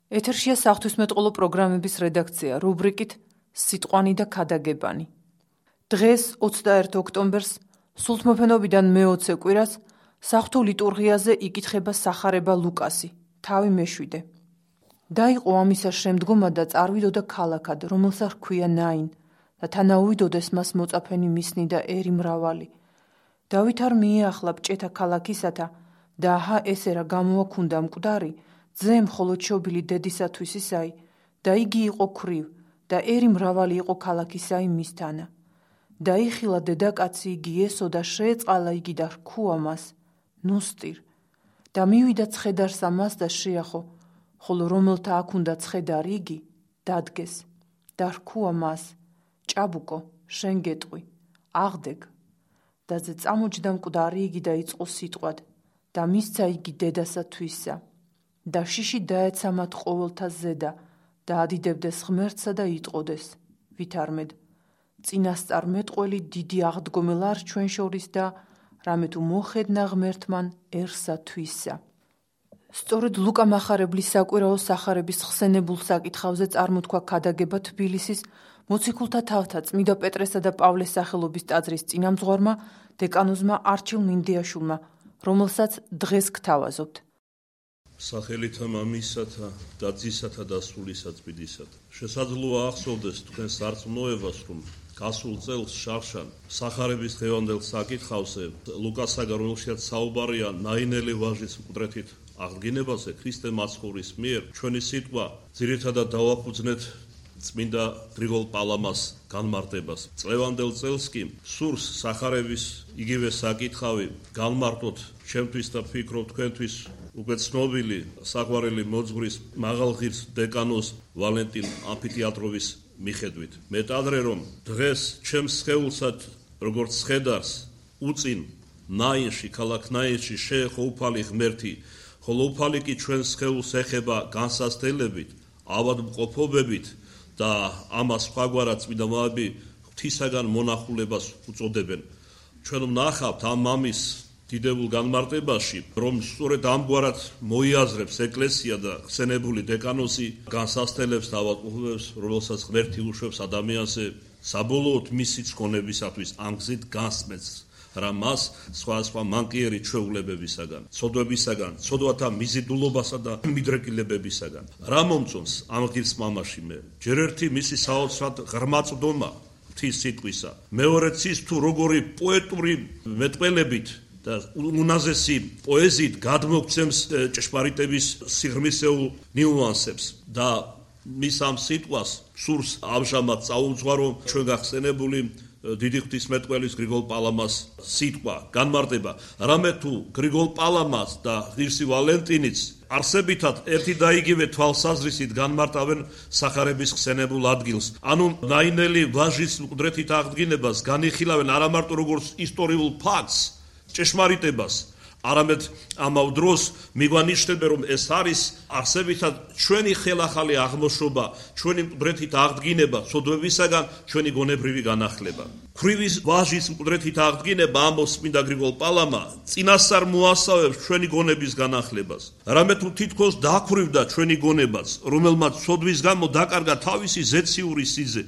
ეთერშია საღვთისმეტყველო პროგრამების რედაქცია რუბრიკით სიტყვანი და ქადაგებანი. დღეს 21 ოქტომბერს სულთმოფენობიდან მე-20 კვირას საღვთო ლიტურგიაზე იკითხება სახარება ლუკასი, თავი მე-7. დაიყო ამისა შემდგომა და წარვიდოდა ქალაქად, რომელსაც ჰქვია ნაინ და თანაუვიდოდეს მას მოწაფენი მისნი და ერი მრავალი. დავით არ მიეახლა ბჭეთა ქალაქისათა და აჰა ესე რა გამოაქვუნდა მკვდარი, ძემ მხოლოდ შობილი დედისათვის ისაი და იგი იყო ქვრივ და ერი მრავალი იყო ქალაქისაი მისთანა. დაიხილა დედაკაცი იგი ესო და შეეწყალა იგი და რქუა მას, ნუსტირ და მივიდა ცხედარსა მას და შეახო, ხოლო რომელთა აქ უნდა ცხედარი იგი, დადგეს და რქუა მას, ჭაბუკო, შენ გეტყვი, აღდეგ და ზე წამოჯდა მკვდარი იგი და იწყო სიტყვად და მისცა იგი დედასა თვისა და შიში დაეცა მათ ყოველთა ზედა და ადიდებდეს ღმერთსა და იტყოდეს, ვითარმედ, წინასწარ მეტყველი დიდი აღდგომელ არ ჩვენ შორის და რამე თუ მოხედნა ღმერთმანერსა თვისა. სწორედ ლუკა მახარებლის საკვირაო სახარების ხსენებულ საკითხავზე წარმოთქვა ქადაგება თბილისის მოციქულთა თავთა წმიდა პეტრესა და პავლეს სახელობის ტაძრის წინამძღვარმა დეკანოზმა არჩილ მინდიაშვილმა, რომელსაც დღეს გთავაზობთ. სახელითა მამისათა და ძისათა და სულისა წმინდისათა. შესაძლოა ახსოვდეს თქვენ სარწმუნოებას, რომ გასულ წელს შარშან სახარების დღევანდელ საკითხავზე ლუკასაგან, რომელშიც საუბარია ნაინელი ვაჟის მკვდრეთით აღდგინებაზე ქრისტე მაცხოვრის მიერ, ჩვენი სიტყვა ძირითადად დავაფუძნეთ წმინდა გრიგოლ პალამას განმარტებას. წლევანდელ წელს კი სურს სახარების იგივე საკითხავი განმარტოთ ჩემთვის და ვფიქრობ თქვენთვის უკვე ცნობილი საყვარელი მოძღვრის მაღალღირს დეკანოს ვალენტინ ამფითეატროვის მიხედვით. მეტადრე რომ დღეს ჩემს სხეულსად როგორც ცხედარს უწინ ნაინში, ქალაქ ნაინში შეეხო უფალი ღმერთი, ხოლო უფალი კი ჩვენ სხეულს ეხება განსასწრებით, ავადმყოფობებით და ამას სხვაგვარად წმინდა მამები ღვთისაგან მონახულებას უწოდებენ. ჩვენ ვნახავთ ამ მამის დიდებულ განმარტებაში, რომ სწორედ ამგვარად მოიაზრებს ეკლესია და ხსენებული დეკანოზი განსასწრებს და ავადმყოფობებს, რომელსაც ღმერთი უშვებს ადამიანზე საბოლოოდ მისი წონებისათვის ამ გზით გასმენს, რა მას სხვა მანკიერი ჩვეულებებისაგან, ცოდვებისაგან, ცოდვათა მიზიდულობასა და მიდრეკილებებისაგან. რა მომწონს ამ ღირს მამაში მე? ჯერ ერთი მისი საოცრად ღრმა წვდომა ღვთის სიტყვისა, მეორეც ის თუ როგორი პოეტური მეტყველებით და უნაზესი პოეზიით გადმოგცემს ჭეშმარიტების სიღრმისეულ ნიუანსებს და მის ამ სიტყვას სურს ამჟამად წაუძღვარო ჩვენ გახსენებული დიდი ღვთისმეტყველის გრიგოლ პალამას სიტყვა, განმარტება. რამე თუ გრიგოლ პალამას და ღირსი ვალენტინიც არსებითად ერთი და იგივე თვალსაზრისით განმარტავენ სახარების ხსენებულ ადგილს. ანუ ნაინელი ვაჟის მკვდრეთით აღდგინებას განიხილავენ არა მარტო როგორც ისტორიულ ფაქტს, ჭეშმარიტებას, არამედ ამავ დროს მიგვანიშნებენ, რომ ეს არის არსებითად ჩვენი ხელახალი აღმოშობა, ჩვენი მკვდრეთით აღდგინება, ცოდვებისაგან ჩვენი გონებრივი განახლება. ქვრივის ვაჟის მკვდრეთით აღდგინება, ამბობს წმინდა გრიგოლ პალამა, წინასწარ მოასწავებს ჩვენი გონების განახლებას. რამე თუ თითქოს დაქვრივდა ჩვენი გონებაც, რომელმაც ცოდვის გამო დაკარგა თავისი ზეციური სიძე.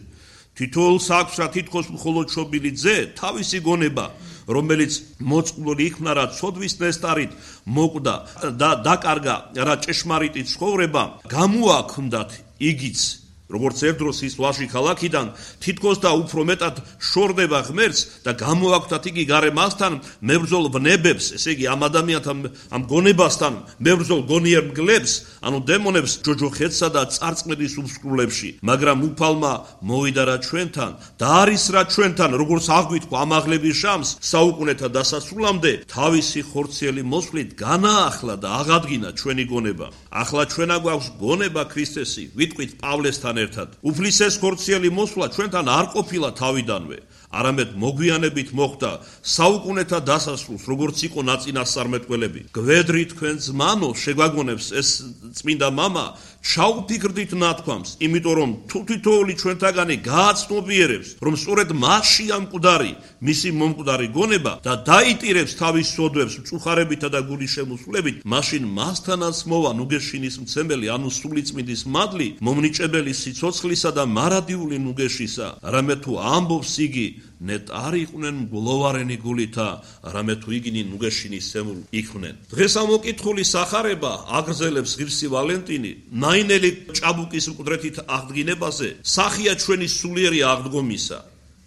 თითოეულს აქვს რა თითქოს მხოლოდ შობილი ძე, თავისი გონება, რომელიც მოწყვლული იქნა რა ცოდვის ნესტარით მოკვდა და დაკარგა რა ჭეშმარიტი ცხოვრება, გამოაქვთ იგიც, როგორც ერთდროს ის ვაჟი ქალაქიდან თითქოს და უფრო მეტად შორდება ღმერთს და გამოაქვთ იგი გარემასთან მებრძოლ ვნებებს, ესე იგი ამ ადამიანთან, ამ გონებასთან მებრძოლ გონიერ მგლებს, ანუ დემონებს ჯოჯოხეთსა და წარწმედის უსკრულებში, მაგრამ უფალმა მოვიდა რა ჩვენთან და არის რა ჩვენთან, როგორც აღგვითხვა ამაღლების ჟამს საუკუნეთა დასასრულამდე, თავისი ხორციელი მოსვლით განაახლა და აღადგინა ჩვენი გონება. ახლა ჩვენა გვაქვს გონება ქრისტესი, ვიტყვით პავლესთან ერთად. უფლის ეს ხორციელი მოსვლა ჩვენთან არ ყოფილა თავიდანვე. არამედ მოგვიანებით მოხდა საუკუნეთა დასასრულს, როგორც იყო ნაწინასწარმეტყველები. გვედრი თქვენ ზმანო შეგვაგონებს ეს წმინდა მამა, ჩაუფიქრდით ნათქვამს, იმიტომ რომ თუ თითოეული ჩვენთაგანი გააცნობიერებს, რომ სწორედ მასშია მკვდარი, მისი მომკვდარი გონება და დაიტირებს თავის სოდვებს მწუხარებითა და გულის შემოსვლებით, მაშინ მასთანაც მოვა ნუგეშინის მცემელი, ანუ სულიწმინდის მადლი, მომნიჭებელი სიცოცხლისა და მარადიული ნუგეშისა, რამე თუ ამბობს იგი, ნეტ არ იყვნენ მგლოვარენი გულითა, რამე თუ იგინი ნუგეშინის სემულ იქმნენ. დღეს ამ მოკითხული სახარება აგრძელებს ღირსი ვალენტინი, ნაინელი ჭაბუკის მკვდრეთით აღდგინებაზე, სახია ჩვენი სულიერი აღდგომისა.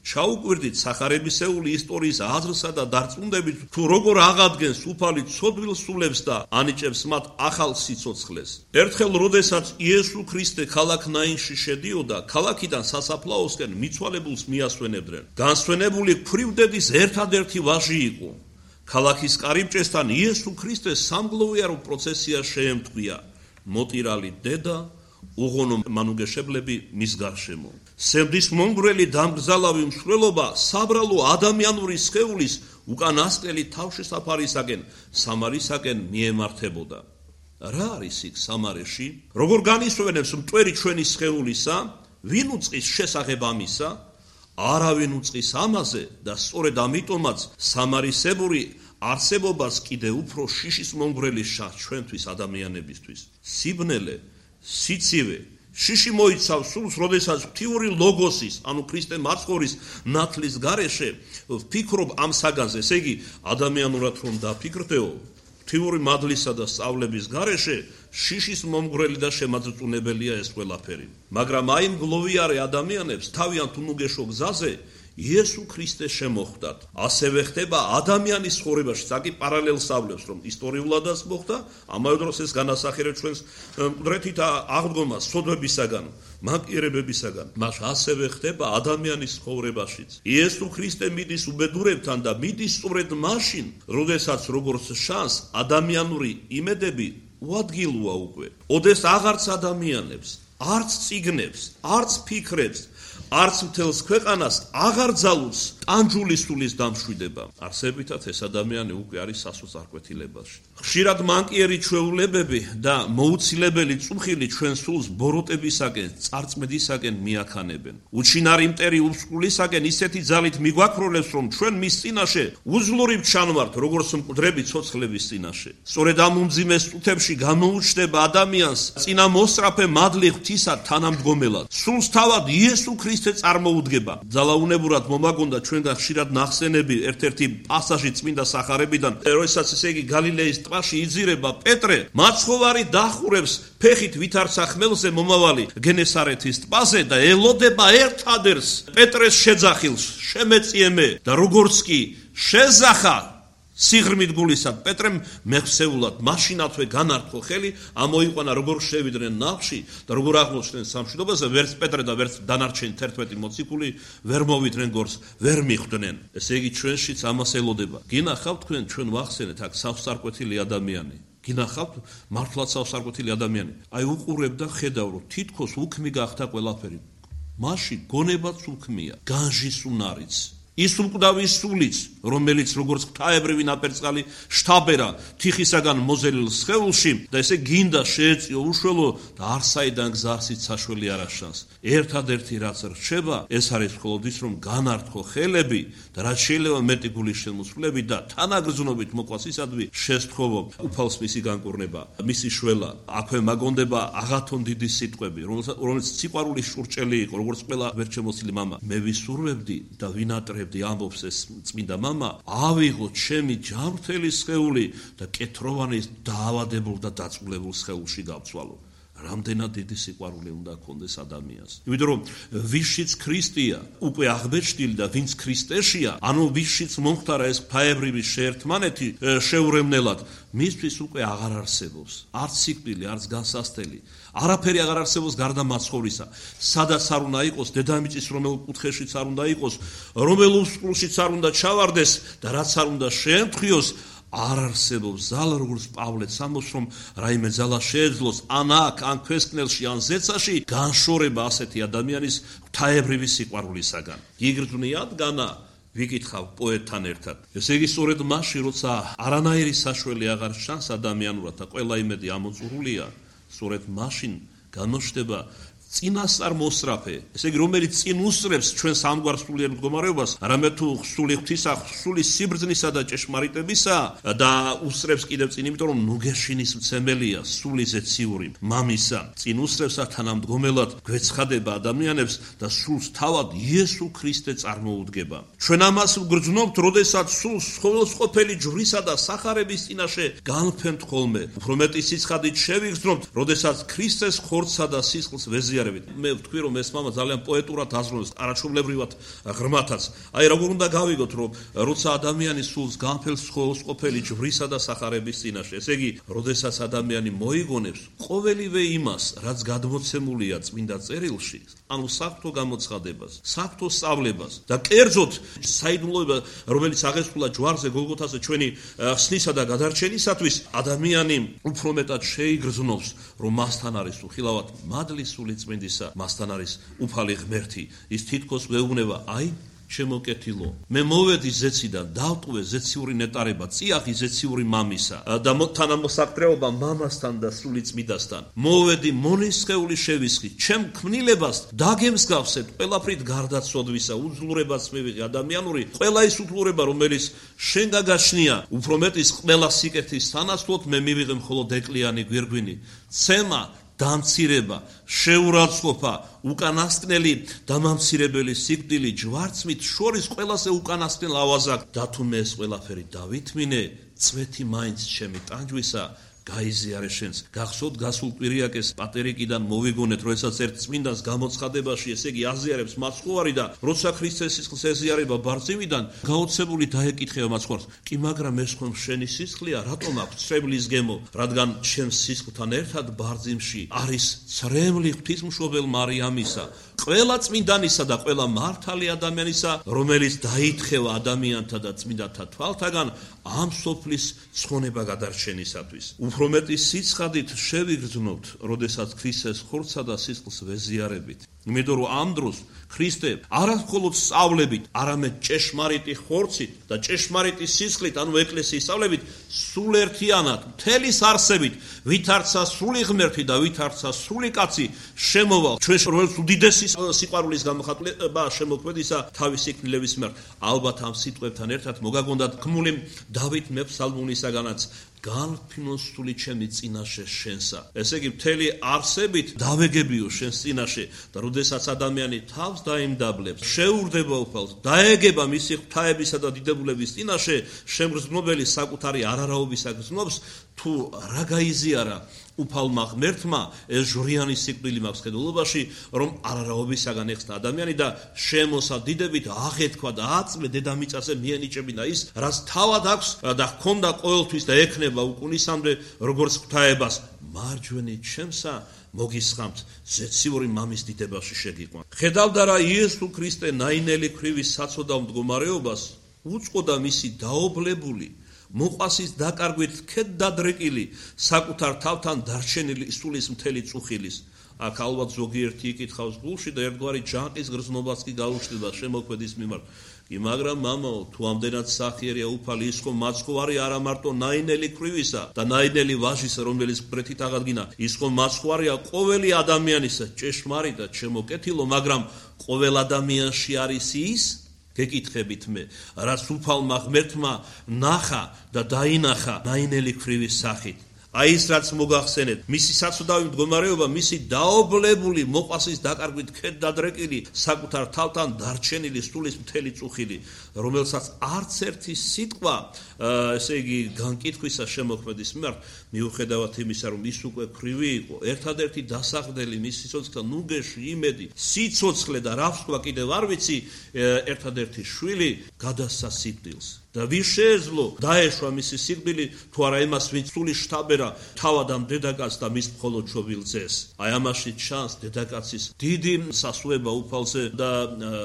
ჩაუკვირდით სახარებისეული ისტორიის აზრსა და დარწმუნდებით, თუ როგორ აღადგენს უფალი ცოდვილ სულებს და ანიჭებს მათ ახალ სიცოცხლეს. ერთხელ, როდესაც იესო ქრისტე ქალაქ ნაინში შედიოდა, ქალაქიდან სასაფლაოსკენ მიცვალებულს მიასვენებდნენ. განსვენებული ქვრივდედის ერთადერთი ვაჟი იყო. ქალაქის კარიბჭესთან იესო ქრისტეს სამგლოვიარო პროცესია შეემთხვია. მოტირალი დედა, უღონო მანუგეშებლები მის გარშემო. სევდის მომგვრელი დამგზალავი მსვლელობა საბრალო ადამიანური სხეულის უკანასკნელი თავშესაფარისაკენ, სამარისაკენ მიემართებოდა. რა არის იქ სამარეში? როგორ განისვენებს მტვერი ჩვენი სხეულისა? ვინ უწყის შესახებ ამისა? არავინ უწყის ამაზე და სწორედ ამიტომაც სამარისებური არსებობას კიდე უფრო შიშის მომგვრელი შაჰ ჩვენთვის ადამიანებისთვის. სიბნელე, სიცივე, შიში მოიცავს სულს, როდესაც ღვთიური ლოგოსის, ანუ ქრისტე მარცხორის ნათლის გარეშე ვფიქრობ ამ საგანზე, ესე იგი ადამიანურად რომ დაფიქრდეო, ღვთიური მადლისა და სწავლების გარეშე შიშის მომგვრელი და შემაძწუნებელია ეს ყველაფერი. მაგრამ აი მგლოვიარე ადამიანებს თავიანთ უნუგეშო გზაზე იესო ქრისტე შემოხვდათ. ასევე ხდება ადამიანის ცხოვრებაში, საკი პარალელს ავლებს, რომ ისტორიულადაც მოხდა, ამავე დროს ეს განასახიერებს ჩვენს მკვდრეთით აღდგომას, სოდვებისაგან, მანკიერებებისაგან. მას ასევე ხდება ადამიანის ცხოვრებაშიც. იესო ქრისტე მიდის უბედურებთან და მიდის სწორედ მაშინ, როდესაც როგორც შანს ადამიანური იმედები უადგილოა უკვე. ოდეს აღარც ადამიანებს, არც წიგნებს, არც ფიქრებს, არც მთელს ქვეყანას აღარ ძალუს ტანჯული სულის დამშვიდება. არსებითად ეს ადამიანი უკვე არის სასოწარკვეთილებაში. ხშირად მანკიერი ჩვეულებები და მოუცილებელი წუხილი ჩვენ სულს ბოროტებისაკენ, წარწმედისაკენ მიაქანებენ. უჩინარი მტერი უსკულისაკენ ისეთი ძალით მიგვაქროლებს, რომ ჩვენ მის წინაშე უძლურებ ჩანვართ, როგორც მკვდრები ცოცხლების წინაშე. სწორედ ამ უმძიმე სტუთებში გამოუჩნდება ადამიანს წინა მოსწრაფე მადლი ღვთისა თანამდგომელად. სულს თავად იესო ქრისტე წარმოუდგება. ძალაუნებურად მომაგონდა ჩვენგან ხშირად ნახსენები ერთ-ერთი პასაჟი წმინდა სახარებიდან, როდესაც ესე იგი გალილეის ტბაში იძირება პეტრე, მაცხოვარი დახურებს ფეხით ვითარცა ხმელზე მომავალი გენესარეთის ტბაზე და ელოდება ერთადერს პეტრეს შეძახილს, შემეწიე მე და როგორც კი შეზახა სიღრმით გულისად პეტრემ მეხსეულად მაშინათვე განართო ხელი, ამოიყვანა როგორ შევიდნენ ნავში და როგორ აღმოჩნდნენ სამშვიდობაზე, ვერც პეტრე და ვერც დანარჩენი 11 მოციქული ვერ მოვიდნენ გორს, ვერ მიხვდნენ. ესე იგი ჩვენშიც ამას ელოდება. გინახავთ თქვენ ჩვენ ვახსენეთ აქ სავსარკვეთილი ადამიანი. გინახავთ მართლაც სავსარკვეთილი ადამიანი. აი უყურებ და ხედავ რომ თითქოს უქმი გახდა ყველაფერი. მაშინ გონებაც უქმია, განჟის უნარიც. ის უკდავი სულიც, რომელიც როგორც ღვთაებრივი ნაპერწკალი შთაბერა თიხისაგან მოზელილ სხეულში და ესე გინდა შეეწიო უშველო და არსაიდან გზარსით საშველი არ აშანს. ერთადერთი რაც რჩება, ეს არის მხოლოდ ის, რომ განართო ხელები და რაც შეიძლება მეტი გულის შემოსვლები და თანაგრძნობით მოყვასისადმი შესთხოვო უფალს მისი განკურნება, მისი შველა. აქვე მაგონდება აღათონ დიდი სიტყვები, რომელიც სიყვარულის შურჭელი იყო, როგორც ყველა ვერჩემოსილი მამა. მე ვისურვებდი და ვინატრე ამბობს ეს წმინდა მამა, ავიღო ჩემი ჯანმრთელი სხეული და კეთროვანი დაავადებულ და დაწულებულ სხეულში გავცვალო. რამდენად დიდი სიყვარული უნდა ჰქონდეს ადამიანს. იმიტომ რომ ვისშიც ქრისტეა, უკვე აღბეჭდილი და ვინც ქრისტეშია, ანუ ვისშიც მომხდარა ეს ღვთაებრივი შეერთმანეთი შეურევნელად, მისთვის უკვე აღარ არსებობს. არც სიკვდილი, არც განსასწრელი. არაფერი აღარ არსებობს გარდა მაცხოვრისა. სადაც არ უნდა იყოს დედამიწის რომელ კუთხეშიც არ უნდა იყოს, რომელ უსყულშიც არ უნდა ჩავარდეს და რაც არ უნდა შეემთხვიოს, არ არსებობს ზალა, როგორც პავლეც ამბობს, რომ რაიმე ზალა შეეძლოს ან აქ, ან ქვესკნელში, ან ზეცაში განშორება ასეთი ადამიანის ღვთაებრივი სიყვარულისაგან. იგრძვნიათ განა ვიკითხავ პოეტთან ერთად. ესე იგი, სწორედ მაშინ, როცა არანაირი საშველი აღარ ჩანს ადამიანურად და ყველა იმედი ამოწურულია, სწორედ მაშინ გამოჩნდება წინასწარ მოსწრაფე, ესე იგი, რომელიც წინ უსწრებს ჩვენს ამგვარ სულიერ მდგომარეობას, არამედ თუ სული ღვთისა, სული სიბრძნისა და ჭეშმარიტებისა და უსწრებს კიდევ წინ, იმიტომ რომ ნუგეშინის მცემელია, სული ზეციური მამისა, წინ უსწრებს თანამდგომელად გვეცხადება ადამიანებს და სულს თავად იესო ქრისტე წარმოუდგება. ჩვენ ამას ვგრძნობთ, როდესაც სულს ყოველსყოფელი ჯვრისა და სახარების წინაშე განვფენთ ხოლმე. უფრო მეტი სიცხადით შევიგრძნობთ, როდესაც ქრისტეს ხორცსა და სისხლს ვეზიარებთ. მე ვთქვი, რომ ეს მამა ძალიან პოეტურად აზროვნებს, არაჩვეულებრივად ღრმათაც. აი, როგორ უნდა გავიგოთ, რომ როცა ადამიანის სულს განფენს ყოველსყოფელი ჯვრისა და სახარების წინაშე, ესე იგი, როდესაც ადამიანი მოიგონებს ყოველივე იმას, რაც გადმოცემულია წმინდა წერილში, ანუ საფრთხო გამოცხადებას, საფრთხო სწავლებას და კერძოდ საიდუმლოება, რომელიც აღესრულა ჯვარზე გოლგოთაზე ჩვენი ხსნისა და გადარჩენისათვის, ადამიანი უფრო მეტად შეიგრძნობს, რომ მასთან არის უხილავად მადლის სული წმინდისა, მასთან არის უფალი ღმერთი. ის თითქოს გვეუბნება, აი, ჩემო კეთილო, მე მოვედი ზეციდან, დავტყვე ზეციური ნეტარება, წიაღი ზეციური მამისა და თანამოსაკრეობა მამასთან და სული წმინდასთან. მოვედი მონისხეული შევისხი, ჩემ ქმნილებას დაგემსგავსეთ ყველაფრით გარდაცოდვისა, უძლურებაც მივიღე ადამიანური, ყველა ის უძლურება, რომელიც შენ გაგაჩნია, უფრო მეტის ყველა სიკეთის სანაცვლოდ მე მივიღე მხოლოდ ეკლიანი გვირგვინი, ცემა დამცირება, შეურაცხყოფა, უკანასკნელი დამამცირებელი სიკვდილი ჯვარცმით შორის ყველაზე უკანასკნელ ავაზაკ და თუ მე ეს ყველაფერი დავითმინე, წვეთი მაინც ჩემი ტანჯვისა გაიზიარე შენს. გახსოვთ გასულ კვირიაკეს პატერიკიდან მოვიგონეთ, როდესაც ერთ წმინდანს გამოცხადებაში, ესე იგი აზიარებს მაცხოვარი და როცა ქრისტეს სისხლს ეზიარება ბარძიმიდან, გაოცებული დაეკითხება მაცხოვარს, კი მაგრამ ეს ხომ შენი სისხლია, რატომ აქვს ცრემლის გემო, რადგან ჩემს სისხლთან ერთად ბარძიმში არის ცრემლი ღვთისმშობელ მარიამისა, ყველა წმინდანისა და ყველა მართალი ადამიანისა, რომელიც დაითხოვა ადამიანთა და წმინდანთა თვალთაგან ამ სოფლის ცხონება გადარჩენისათვის. უფრო მეტი სიცხადით შევიგრძნობთ, როდესაც ქრისტეს ხორცსა და სისხლს ვეზიარებით. იმიტომ რომ ამ დროს ქრისტე არა მხოლოდ სწავლებით, არამედ ჭეშმარიტი ხორცით და ჭეშმარიტი სისხლით, ანუ ეკლესიის სწავლებით, სულ ერთიანად, მთელის არსებით, ვითარცა სული ღმერთი და ვითარცა სული კაცი შემოვალ ჩვენს რომელიც უდიდესი სიყვარულის გამოხატულება შემოქმედისა თავისი კნილების მიმართ. ალბათ ამ სიტყვებთან ერთად მოგაგონდათ გმული დავით მეფსალმუნისაგანაც განვფინო სული ჩემი წინაშე შენსა. ესე იგი, მთელი არსებით დავეგებიო შენს წინაშე და როდესაც ადამიანი თავს დაიმდაბლებს, შეურდება უფალს, დაეგება მისი ღვთაებისა და დიდებულების წინაშე, შემგრძნობელი საკუთარი არარაობისა გრძნობს, თუ რა გაიზიარა უფალმა ღმერთმა, ეს ჟვრიანი სიკვდილი მაქვს ხედულობაში, რომ არარაობისაგან ეხსნა ადამიანი და შემოსა დიდებით აღეთქვა და აწმე დედამიწაზე მიენიჭებინა ის, რაც თავად აქვს და ჰქონდა ყოველთვის და ექნება უკუნისამდე, როგორც ღვთაებას. მარჯვენი ჩემსა მოგისხამთ ზეციური მამის დიდებაში შეგიყვან. ხედავდა რა იესო ქრისტე ნაინელი ქრივის საცოდავ მდგომარეობას, უწყოდა მისი დაობლებული მოყვასის დაკარგვით ქედ დადრეკილი საკუთარ თავთან დარჩენილი სულის მთელი წუხილის. აქ ალბათ ზოგიერთი იკითხავს გულში და ერთგვარი ჯანყის გრძნობაც კი გაუჩნდება შემოქმედის მიმართ. კი მაგრამ მამაო, თუ ამდენად სახიერია უფალი, ის ხომ მაცხოვარი არა მარტო ნაინელი ქრივისა და ნაინელი ვაჟისა, რომელიც მკვეთრით აღადგინა, ის ხომ მაცხოვარია ყოველი ადამიანისა, ჭეშმარიტად შემოკეთილო, მაგრამ ყოველ ადამიანში არის ის, გეკითხებით მე, რაც უფალმა ღმერთმა ნახა და დაინახა ნაინელი ქრივის სახით. აი ის რაც მოგახსენეთ, მისი საცოდავი მდგომარეობა, მისი დაობლებული მოყვასის დაკარგვით ქედ დადრეკილი საკუთარ თავთან დარჩენილი სულის მთელი წუხილი, რომელსაც არც ერთი სიტყვა, ესე იგი, განკითხვისა შემოქმედის მიმართ, მიუხედავად იმისა, რომ ის უკვე ქრივი იყო, ერთადერთი დასახდელი მის სიცოცხლეთან, ნუგეში იმედი, სიცოცხლე და რა ვთქვა კიდევ არ ვიცი, ერთადერთი შვილი გადასცა სიკვდილს. და ვის შეეძლო დაეშვა მისი სიკვდილი, თუ არა იმას, ვინც სული შთაბერა თავად ამ დედაკაცს და მის მხოლოდ შობილ ძეს. აი ამაში ჩანს დედაკაცის დიდი სასუება უფალზე და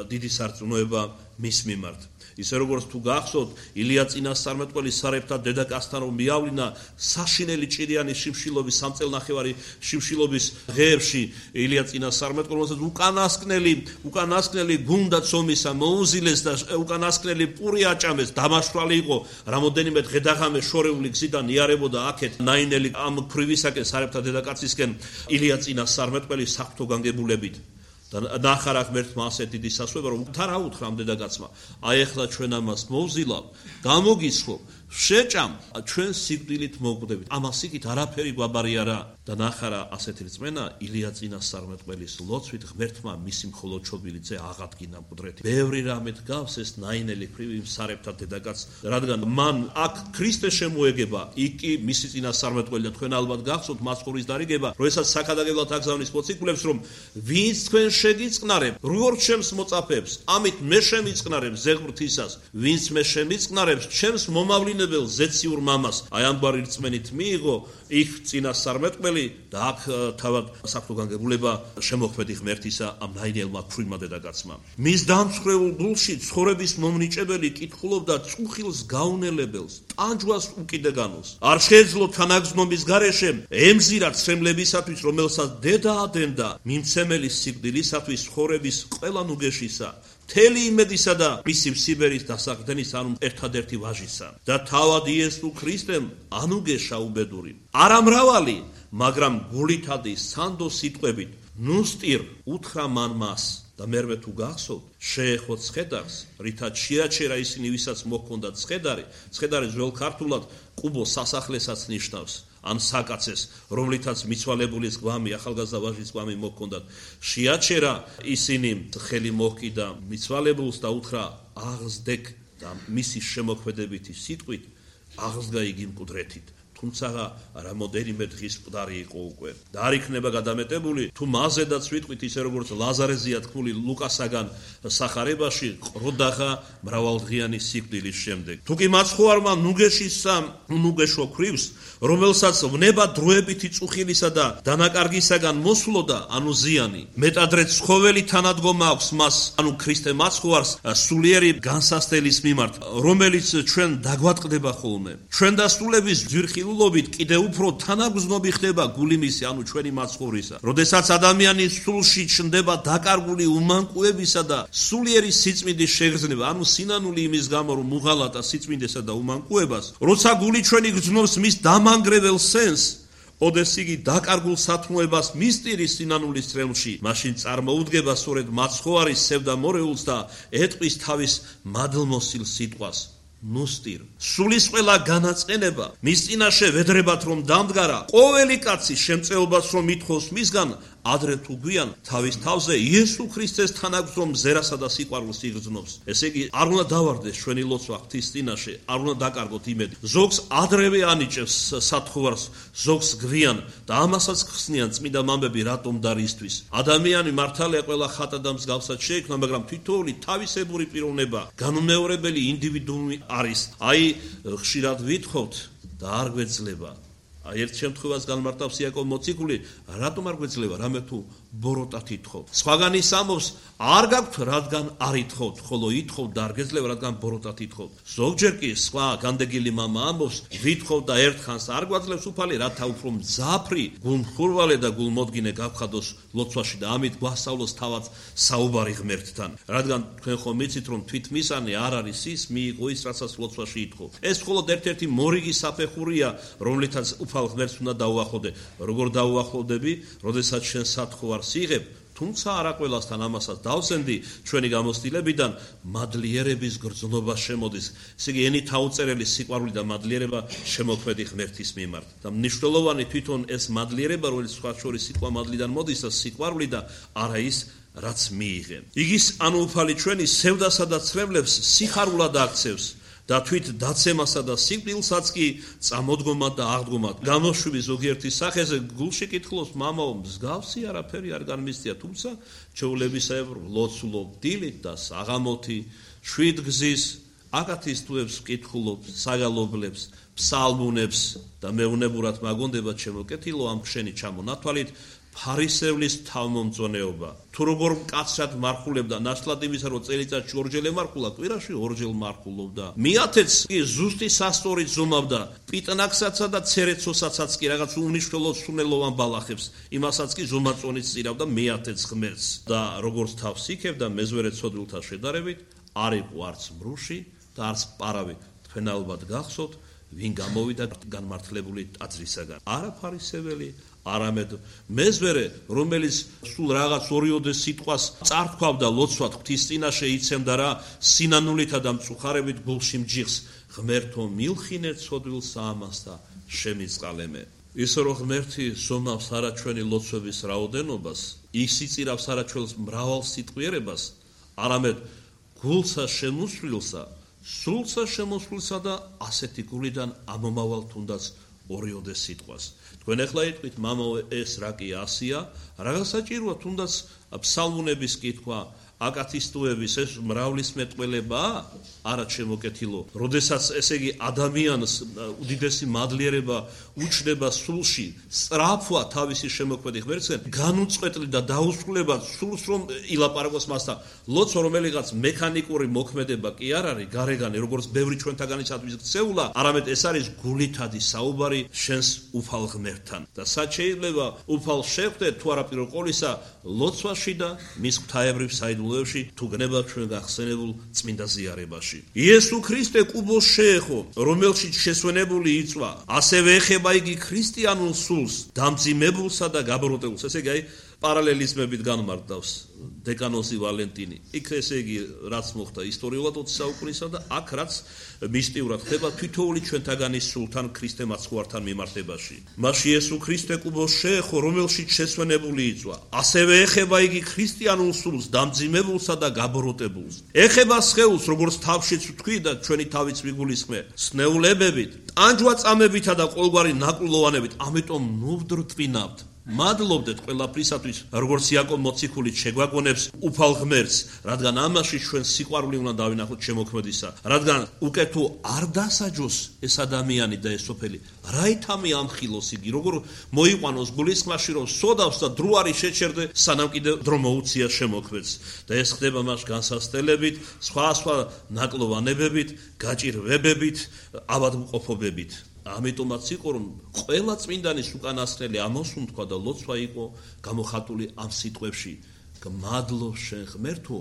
დიდი სარწმუნოება მის მიმართ. ისე როგორც თუ გახსოვთ, ილია წინასწარმეტყველი სარეფთა დედაკაცთან რომ მიავლინა საშინელი ჭირიანი შიმშილობის სამწელნახევარი შიმშილობის ღეებში ილია წინასწარმეტყველმა უკანასკნელი გუნდა ცომისა მოუზილეს და უკანასკნელი პური აჭამეს, დამაშვრალი იყო რამოდენიმე დღე-დაღამე შორეული გზიდან იარებოდა აქეთ ნაინელი ამ ქვრივისაკენ სარეფთა დედაკაცისკენ ილია წინასწარმეტყველი საფრთხო განგებულებით და ნახარა ღმერთმა ასეთ დიდი სასვება რომ უთარა უთხრა ამ დედაკაცმა აი ახლა ჩვენ ამას მოვზილავ გამოგისხო შეჭამ ჩვენ სიკვდილით მოვკვდებით ამას იქით არაფერი გვაბარი არა და ნახარა ასეთი რწმენა ილია წინასწარმეტყველის ლოცვით ღმერთმა მისი მხოლოდ ჩობილი ძე აღადგინა მკვდრეთი ბევრი რამეთ გავს ეს ნაინელი ქვრივი სარეფთა დედაკაც რადგან მან აქ ქრისტე შემოეგება იქ კი მისი წინასწარმეტყველი და თქვენ ალბათ გახსოვთ მასწავლის დარიგება როდესაც საქადაგებლად აგზავნის მოციქულებს რომ ვინც თქვენ შეგიწყნარებ როგორ ჩემს მოწაფეებს ამით მე შემიწყნარებ ზეღვრთისას ვინც მე შემიწყნარებს ჩემს მომავლინებელ ზეციურ მამას აი ამგვარი რწმენით მიიღო იქ წინასწარმეტყველი და აქ თავად საფრთხო განგებულება შემოქმედი ღმერთისა ამ ნაინელმა ქვრივმა დედაკაცმა მის დამცხრეულ გულში ცხოვრების მომნიჭებელი კითხულობდა წუხილს გაუნელებელს ტანჯვას უკიდეგანოს არ შეეძლო თანაგზნობის გარეშე ემზირა ცრემლებისათვის რომელსაც დედა ადენდა მიმცემელი სიკვდილისათვის ცხოვრების ყველა ნუგეშისა თელი იმედისა და მისი სიბერის დასაყრდენის ანუ ერთადერთი ვაჟისა და თავად იესო ქრისტემ ანუგეშა უბედური არა მრავალი მაგრამ გულითადი სანდო სიტყვებით ნუსტირ უთხრა მან მას და მერვე თუ გახსოვთ შეეხო ცხედარს რითაც შეაჩერა ისინი ვისაც მოჰქონდათ ცხედარი ძველ ქართულად ყუბო სასახლესაც ნიშნავს ან საკაცეს რომლითაც მიცვალებულის გვამი ახალგაზრდა ვაჟის გვამი მოჰქონდათ შეაჩერა ისინი ხელი მოჰკიდა მიცვალებულს და უთხრა აღზდეკ და მისი შემოქმედებითი სიტყვით აღზდა იგი მკვდრეთით თუმცა რამოდენიმე დღის მკვდარი იყო უკვე და არ იქნება გადამეტებული თუ მაზედაც ვიტყვით ისე როგორც ლაზარეზეა თქმული ლუკასაგან სახარებაში ყროდაღა მრავალდღიანი სიკვდილის შემდეგ თუ კი მაცხოვარმა ნუგეშისა ნუგეშო ქვრივს რომელსაც ვნება დროებითი წუხილისა და დანაკარგისაგან მოსვლოდა ანუ ზიანი მეტადრე ცხოველი თანადგომა აქვს მას ანუ ქრისტე მაცხოვარს სულიერი განსასწრების მიმართ რომელიც ჩვენ დაგვატყდება ხოლმე ჩვენ დასრულების ძვირხილულობით კიდევ უფრო თანაგზნობი ხდება გულიმისი ანუ ჩვენი მაცხოვრისა როდესაც ადამიანის სულში ჩნდება დაკარგული უმანკუებისა და სულიერი სიწმინდის შეგრძნება ანუ სინანული იმის გამო რომ უღალატა სიწმინდესა და უმანკუებას როცა გული ჩვენი გრძნობს მის დამანგრეველ სენს ოდეს იგი დაკარგულ სათნოებას მისტირის სინანულის წრემლში მაშინ წარმოუდგება სწორედ მაცხოვარის სევდამორეულს და ეტყვის თავის მადლმოსილ სიტყვას ნუსტირ სულის ყველა განაწყენება მის წინაშე ვედრებათ რომ დამდგარა ყოველი კაცი შემწეობას რომ მითხოს მისგან ადრე თუ გვიან თავის თავზე იესო ქრისტეს თანაგზნომ ზერასა და სიყვარულს იგრძნობს ესე იგი არ უნდა დავარდეს ჩვენი ლოცვა ღვთის წინაშე არ უნდა დაკარგოთ იმედი ზოგს ადრევე ანიჭებს სათხოვარს ზოგს გვიან და ამასაც ხსნიან წმინდა მამები რატომ და რისთვის ადამიანი მართალია ყველა ხატა და მსგავსად შეიქმნა მაგრამ თითოეული თავისებური პიროვნება განუმეორებელი ინდივიდუუმი არის აი ხშირად ვითხოვთ და არ გვეძლება ერთ შემთხვევას განმარტავს იაკობ მოციქული რატომ არ გვეძლება რამე თუ ბოროტად ითხოვთ სხვაგანის ამბობს არ გაქვთ რადგან არ ითხოვთ ხოლო ითხოვთ და არ გეძლება რადგან ბოროტად ითხოვთ ზოგჯერ კი სხვა განდეგილი მამა ამბობს ვითხოვთ და ერთხანს არ გვაძლევს უფალი რათა უფრო მძაფრი გულმხურვალე და გულმოდგინე გავხადოს ლოცვაში და ამით გვასწავლოს თავად საუბარი ღმერთთან რადგან თქვენ ხომ მიცით რომ თვითმისანი არ არის ის მიიღო ის რასაც ლოცვაში ითხოვ ეს მხოლოდ ერთ-ერთი მორიგი საფეხურია რომლითაც უფალ ღმერთს უნდა დაუახლოვდე როგორ დაუახლოვდები როდესაც შენ სათხოვარს იღებ თუმცა არა ყველასთან ამასაც დავსენდი ჩვენი გამოცდილებიდან მადლიერების გრძნობა შემოდის ესე იგი ენით აუწერელი სიყვარული და მადლიერება შემოქმედი ღმერთის მიმართ და მნიშვნელოვანი თვითონ ეს მადლიერება რომელიც სხვა შორის სიტყვა მადლიდან მოდის და სიყვარული და არა ის რაც მიიღე იგის ანუ უფალი ჩვენი სევდასა და ცრემლებს სიხარულად აქცევს და თვით დაცემასა და სიკვდილსაც კი წამოდგომად და აღდგომად გამოშვების ზოგიერთის სახეზე გულში კითხულობს მამაო მსგავსი არაფერი არ განმისწია თუმცა ჩვეულებისებრ ლოცულობ დილით და საღამოთი შვიდგზის აკათისტუებს კითხულობ საგალობლებს ფსალმუნებს და მეუნებურად მაგონდება ჩემო კეთილო ამ ხშენი ჩამონათვალით ფარისევლის თავმომწონეობა. თუ როგორ მკაცრად მარხულებდა, ნაცვლად იმისა, რომ წელიწადში ორჯერ ემარხულა, კვირაში ორჯერ მარხულობდა. მიათეც კი ზუსტი სასტორით ზომავდა, პიტნაკსაცა და ცერეცოსაცაც კი რაღაც უნიშნელო სუნელოვან ბალახებს, იმასაც კი ზომაწონით წირავდა მიათეც ღმერთს. და როგორც თავს იქებდა მეზვერე ცოდვილთა შედარებით, არ იყო არც მრუში და არც პარავი. თქვენ ალბათ გახსოვთ, ვინ გამოვიდა განმართლებული ტაძრისაგან. არა ფარისეველი, არამედ მეზვერე, რომელიც სულ რაღაც ორიოდე სიტყვას წართქვავდა ლოცვად ღვთის წინაშე იცემდა რა სინანულითა და მწუხარებით გულში მჯიხს. ღმერთო მილხინე ცოდვილსა ამას და შემიწყალემე. ისე რომ ღმერთი ზომავს არა ჩვენი ლოცვების რაოდენობას, ისიწირავს არა ჩვენს მრავალ სიტყვიერებას, არამედ გულსა შემოსვლილსა, სულსა შემოსვლილსა და ასეთი გულიდან ამომავალ თუნდაც ორიოდე სიტყვას. თქვენ ახლა იტყვით, მამო, ეს რა კი ასია, რაღაც საჭიროა თუნდაც ფსალმუნების კითხვა, აკათისტუების ეს მრავლის მეტყველებაა, არა შემოკეთილო. როდესაც ესე იგი ადამიანს უდიდესი მადლიერება უჩნდება სულში, სწრაფვა თავისი შემოქმედი ღმერთისგან, განუწყვეტლი და დაუსრულებად სულს რომ ილაპარაკოს მასთან. ლოცვა რომელიღაც მექანიკური მოქმედება კი არ არის, გარეგანი, როგორც ბევრი ჩვენთაგანისათვის ქცეულა, არამედ ეს არის გულითადი საუბარი შენს უფალ ღმერთთან. და სად შეიძლება უფალ შეხვდეთ თუ არა პირველ ყოვლისა ლოცვაში და მის ღვთაებრივ საიდუმლოებში, თუ გნება ჩვენ გახსენებულ წმინდა ზიარებაში. იესო ქრისტე კუბოს შეეხო, რომელშიც შესვენებული იწვა, ასევე ეხება იგი ქრისტიანულ სულს, დამძიმებულსა და გაბროტებულს. ესე იგი, პარალელიზმებით განმარტავს დეკანოზი ვალენტინი. იქ ესე იგი, რაც მოხდა ისტორიულად 20 საუკუნისა და აქ რაც მისტიურად ხდება თითოეული ჩვენთაგანის სულთან ქრისტე მაცხვართან მიმართებაში. მაშინ იესო ქრისტე კუბოს შეეხო, რომელშიც შესვენებული იწვა, ასევე ეხება იგი ქრისტიანულ სულს, დამძიმებულსა და გაბროტებულს. ეხება სხეულს, როგორც თავშიც ვთქვი და ჩვენი თავიც ვიგულისხმე, სნეულებებით, ტანჯვა-წამებითა და ყოველგვარი ნაკლოვანებით, ამიტომ ნუ ვდრტვინავთ. მადლობდეთ ყველაფრისათვის, როგორც იაკობ მოციქულით შეგვაგონებს უფალ ღმერთს, რადგან ამაში ჩვენ სიყვარული უნდა დავინახოთ შემოქმედისა, რადგან უკეთო არ დასაჯოს ეს ადამიანი და ეს სოფელი, რაითამი ამხილოს იგი, როგორ მოიყვანოს გულისხმაში, რომ სოდავს და დრო არის შეჩერდე, სანამ კიდევ დრო მოუწია შემოქმედს. და ეს ხდება მას განსასწელებით, სხვა ნაკლოვანებებით, გაჭირვებებით, ავადმყოფობებით. ამიტომაც იყო, რომ ყველა წმინდანის უკანასკნელი ამოსუნთქვა და ლოცვა იყო გამოხატული ამ სიტყვებში. მადლობ შენ ღმერთო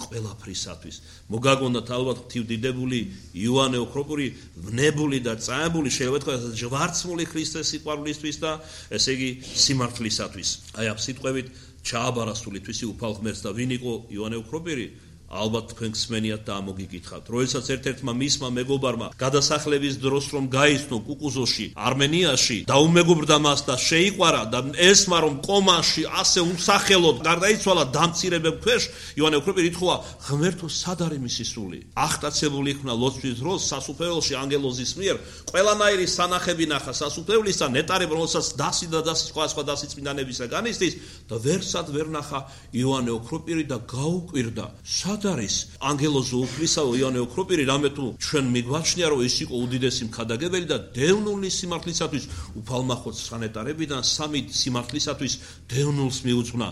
ყველაფრისათვის. მოგაგონდათ ალბათ ღვთივდიდებული იოანე ოქროპური, ვნებული და წამებული, შეიძლება თქვა ჯვარცმული ქრისტეს სიყვარულისთვის და ესე იგი სიმართლისათვის. აი ამ სიტყვებით ჩააბარა სულითვისი უფალ ღმერთს და ვინ იყო იოანე ოქროპირი? ალბათ თქვენ გსმენიათ და ამოგიკითხავთ. როდესაც ერთ-ერთმა მისმა მეგობარმა გადასახლების დროს რომ გაიცნო კუკუზოში, არმენიაში, დაუმეგობრდა მას და შეიყვარა და ესმა რომ კომაში ასე უსახელოდ გარდაიცვალა დამცირებებ ქვეშ, იოანე ოქროპირი ითხოვა, ღმერთო, სად არის მისი სული? აღტაცებული იქნა ლოცვის დროს სასუფეველში ანგელოზის მიერ, ყველანაირი სანახები ნახა სასუფევლისა, ნეტარი რომელსაც დასი და დასი სხვა დასი წმინდანებისა განიცდის და ვერსად ვერ ნახა იოანე ოქროპირი და გაუკვირდა. სად არის ანგელოზო უფლისაო იოანე ოქროპირი, რამე თუ ჩვენ მიგვაჩნია, რომ ის იყო უდიდესი მქადაგებელი და დევნული სიმართლისათვის უფალმა ხოცხანეტარებიდან სამი სიმართლისათვის დევნულს მიუძღვნა.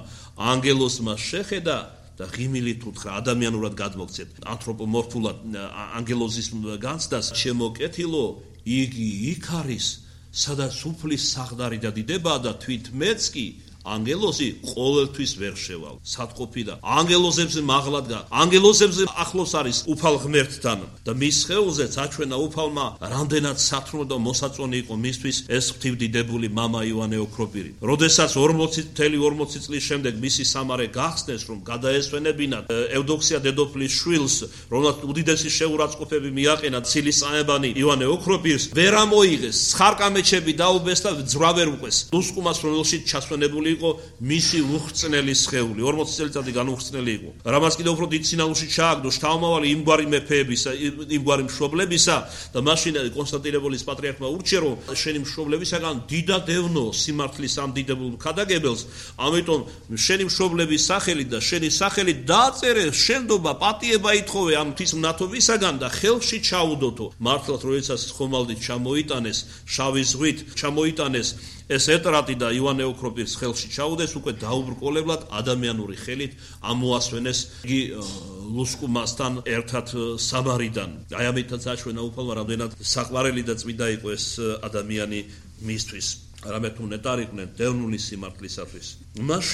ანგელოზმა შეხედა და ღიმილით უთხრა, ადამიანურად გადმოგცეთ, ანთროპომორფულად ანგელოზის განცდას, შემოკეთილო, იგი იქ არის, სადაც უფლის საღდარი და დიდებაა და თვით მეც კი ანგელოზი ყოველთვის ვერ შევალ. სათყოფი და ანგელოზებზე მაღლადგა, ანგელოზებზე ახლოს არის უფალ ღმერთთან და მის სხეულზეც აჩვენა უფალმა რამდენად სათნო და მოსაწონი იყო მისთვის ეს ღვთივდიდებული მამა იოანე ოქროპირი. როდესაც 40 წლის შემდეგ მისი სამარე გახსნეს, რომ გადაესვენებინათ ევდოქსია დედოფლის შვილს, რომელსაც უდიდესი შეურაცხყოფები მიაყენა ცილისწამებანი იოანე ოქროპირს, ვერ ამოიღეს, ცხარკამეჩები დაუბეს და ძრვა ვერ უყვეს. უსკუმას რომელშიც ჩასვენებული იყო მისი უხრწნელი სხეული, 40 წელიწადი განუხრწნელი იყო. რამაც კიდევ უფრო დიდ სინანულში ჩააგდო შთამომავალი იმგვარი მეფეებისა, იმგვარი მშობლებისა და მაშინ კონსტანტინოპოლის პატრიარქმა ურჩია, რომ შენი მშობლებისაგან დიდა დევნო სიმართლის ამ დიდებულ მქადაგებელს, ამიტომ შენი მშობლების სახელით და შენი სახელით დაწერე შენდობა, პატიება ითხოვე ამ ღვთის მნათობისაგან და ხელში ჩაუდოთო. მართლაც როდესაც ხომალდით ჩამოიტანეს, შავი ზღვით ჩამოიტანეს ეს ეტრატი და ივანე ოქროპირის ხელში ჩაუდეს, უკვე დაუბრკოლებლად ადამიანური ხელით ამოასვენეს იგი ლუსკუმასთან ერთად საბარიდან. აი ამითაც აჩვენა უფალმა, რამდენად საყვარელი და წმინდა იყო ეს ადამიანი მისთვის. არამედ უნეტარიყვნენ დევნული სიმართლისათვის. მას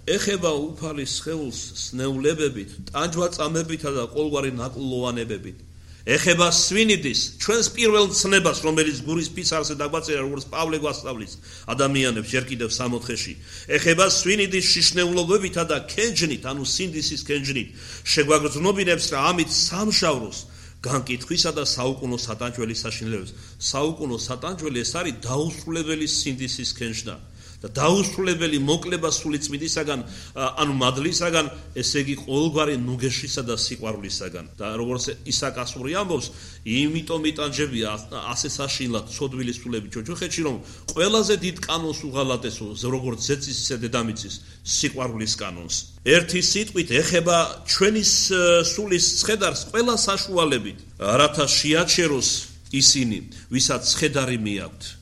ეხება უფალის სხეულს სნეულებებით, ტანჯვა-წამებითა და ყოველგვარი ნაკლოვანებებით. ეხება სვინიდის ჩვენს პირველ ცნებას, რომელიც გურის ფიცარზე დაგვაწერა, როგორც პავლე გვასწავლის ადამიანებს ჯერ კიდევ 60-ში. ეხება სვინიდის შიშნეულობებითა და კენჯნით, ანუ სინდისის კენჯნით, შეგვაგრძნობინებს რა ამით სამშავროს განკითხვისა და საუკუნო სატანჯველის საშინელებებს. საუკუნო სატანჯველი ეს არის დაუსრულებელი სინდისის კენჯნა და დაუსრულებელი მოკლება სული წმინდისაგან, ანუ მადლისაგან, ესე იგი ყოველგვარი ნუგეშისა და სიყვარულისაგან. და როგორც ისაკ ასური ამბობს, იმიტომ იტანჯებია ასე საშინლად ცოდვილი სულები ჯოჯოხეთში, რომ ყველაზე დიდ კანონს უღალატესო, როგორც ზეცის ისე დედამიწის სიყვარულის კანონს. ერთი სიტყვით ეხება ჩვენი სულის ცხედარს ყველა საშუალებით, რათა შეაჩეროს ისინი, ვისაც ცხედარი მიაქვთ.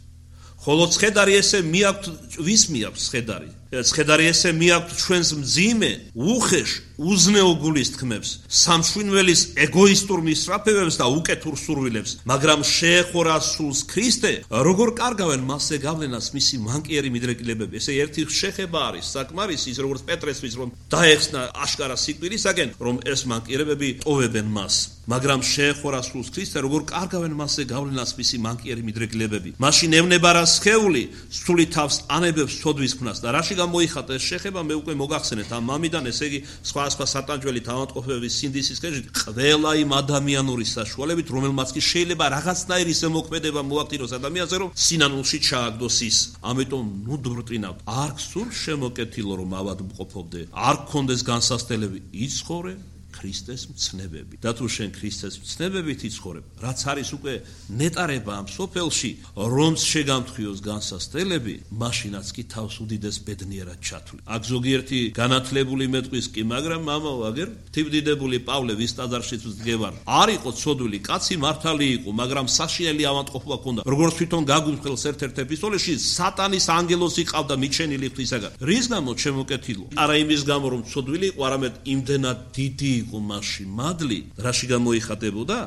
ხოლო ცხედარი ესე მიაქვთ, ვის მიაქვთ ცხედარი? ცხედარი ესე მიაქვთ ჩვენს მძიმე, უხეშ, უზნეო გულის თქმებს, სამშვინველის ეგოისტურ მისწრაფებებს და უკეთურ სურვილებს, მაგრამ შეეხურა სულს ქრისტე, როგორ კარგავენ მასზე გავლენას მისი მანკიერი მიდრეკილებები. ესე ერთი შეხება არის საკმარისი, ის როგორც პეტრესთვის, რომ დაეხსნა აშკარა სიკვდილისაგან, რომ ეს მანკიერებები ტოვებენ მას. მაგრამ შეეხურა სულს ქრისტე, როგორ კარგავენ მასზე გავლენას მისი მანკიერი მიდრეკილებები. მაშინ ევნება რა სხეული, სული თავს ანებებს ცოდვის ქმნას და რაში გამოიხატა ეს შეხება, მე უკვე მოგახსენეთ ამ მამიდან, ესე იგი სხვა სატანჯველი თავანტყოფების სინდისის კენჭით, ყველა იმ ადამიანური საშუალებით, რომელმაც კი შეიძლება რაღაცნაირი ზემოქმედება მოახდინოს ადამიანზე, რომ სინანულში ჩააგდოს ის. ამიტომ ნუ დვრწინავთ, არ გსურს შემოკეთილო, რომ ავადმყოფობდე, არ გქონდეს განსასწრებელი, იცხოვრე ქრისტეს მცნებები. და თუ შენ ქრისტეს მცნებებით იცხოვრებ, რაც არის უკვე ნეტარება ამ სოფელში, რომც შეგამთხვიოს განსასწრებელი, მაშინაც კი თავს უდიდეს ბედნიერად ჩათვლი. აქ ზოგიერთი განათლებული მეტყვის კი, მაგრამ მამაო, აგერ თივდიდებული პავლე ვის ტაძარშიც ვდგევარ. არ იყო ცოდვილი კაცი, მართალი იყო, მაგრამ საშინელი ავადმყოფობა ჰქონდა. როგორც თვითონ გაგუხელს ერთ-ერთ ეპისტოლეში, სატანის ანგელოს იყავდა მიჩენილი ღვთისაგან. რის გამო შემოკეთილო? არა იმის გამო, რომ ცოდვილი იყო, არამედ იმდენად დიდი იყო მასში მადლი, რაში გამოიხატებოდა?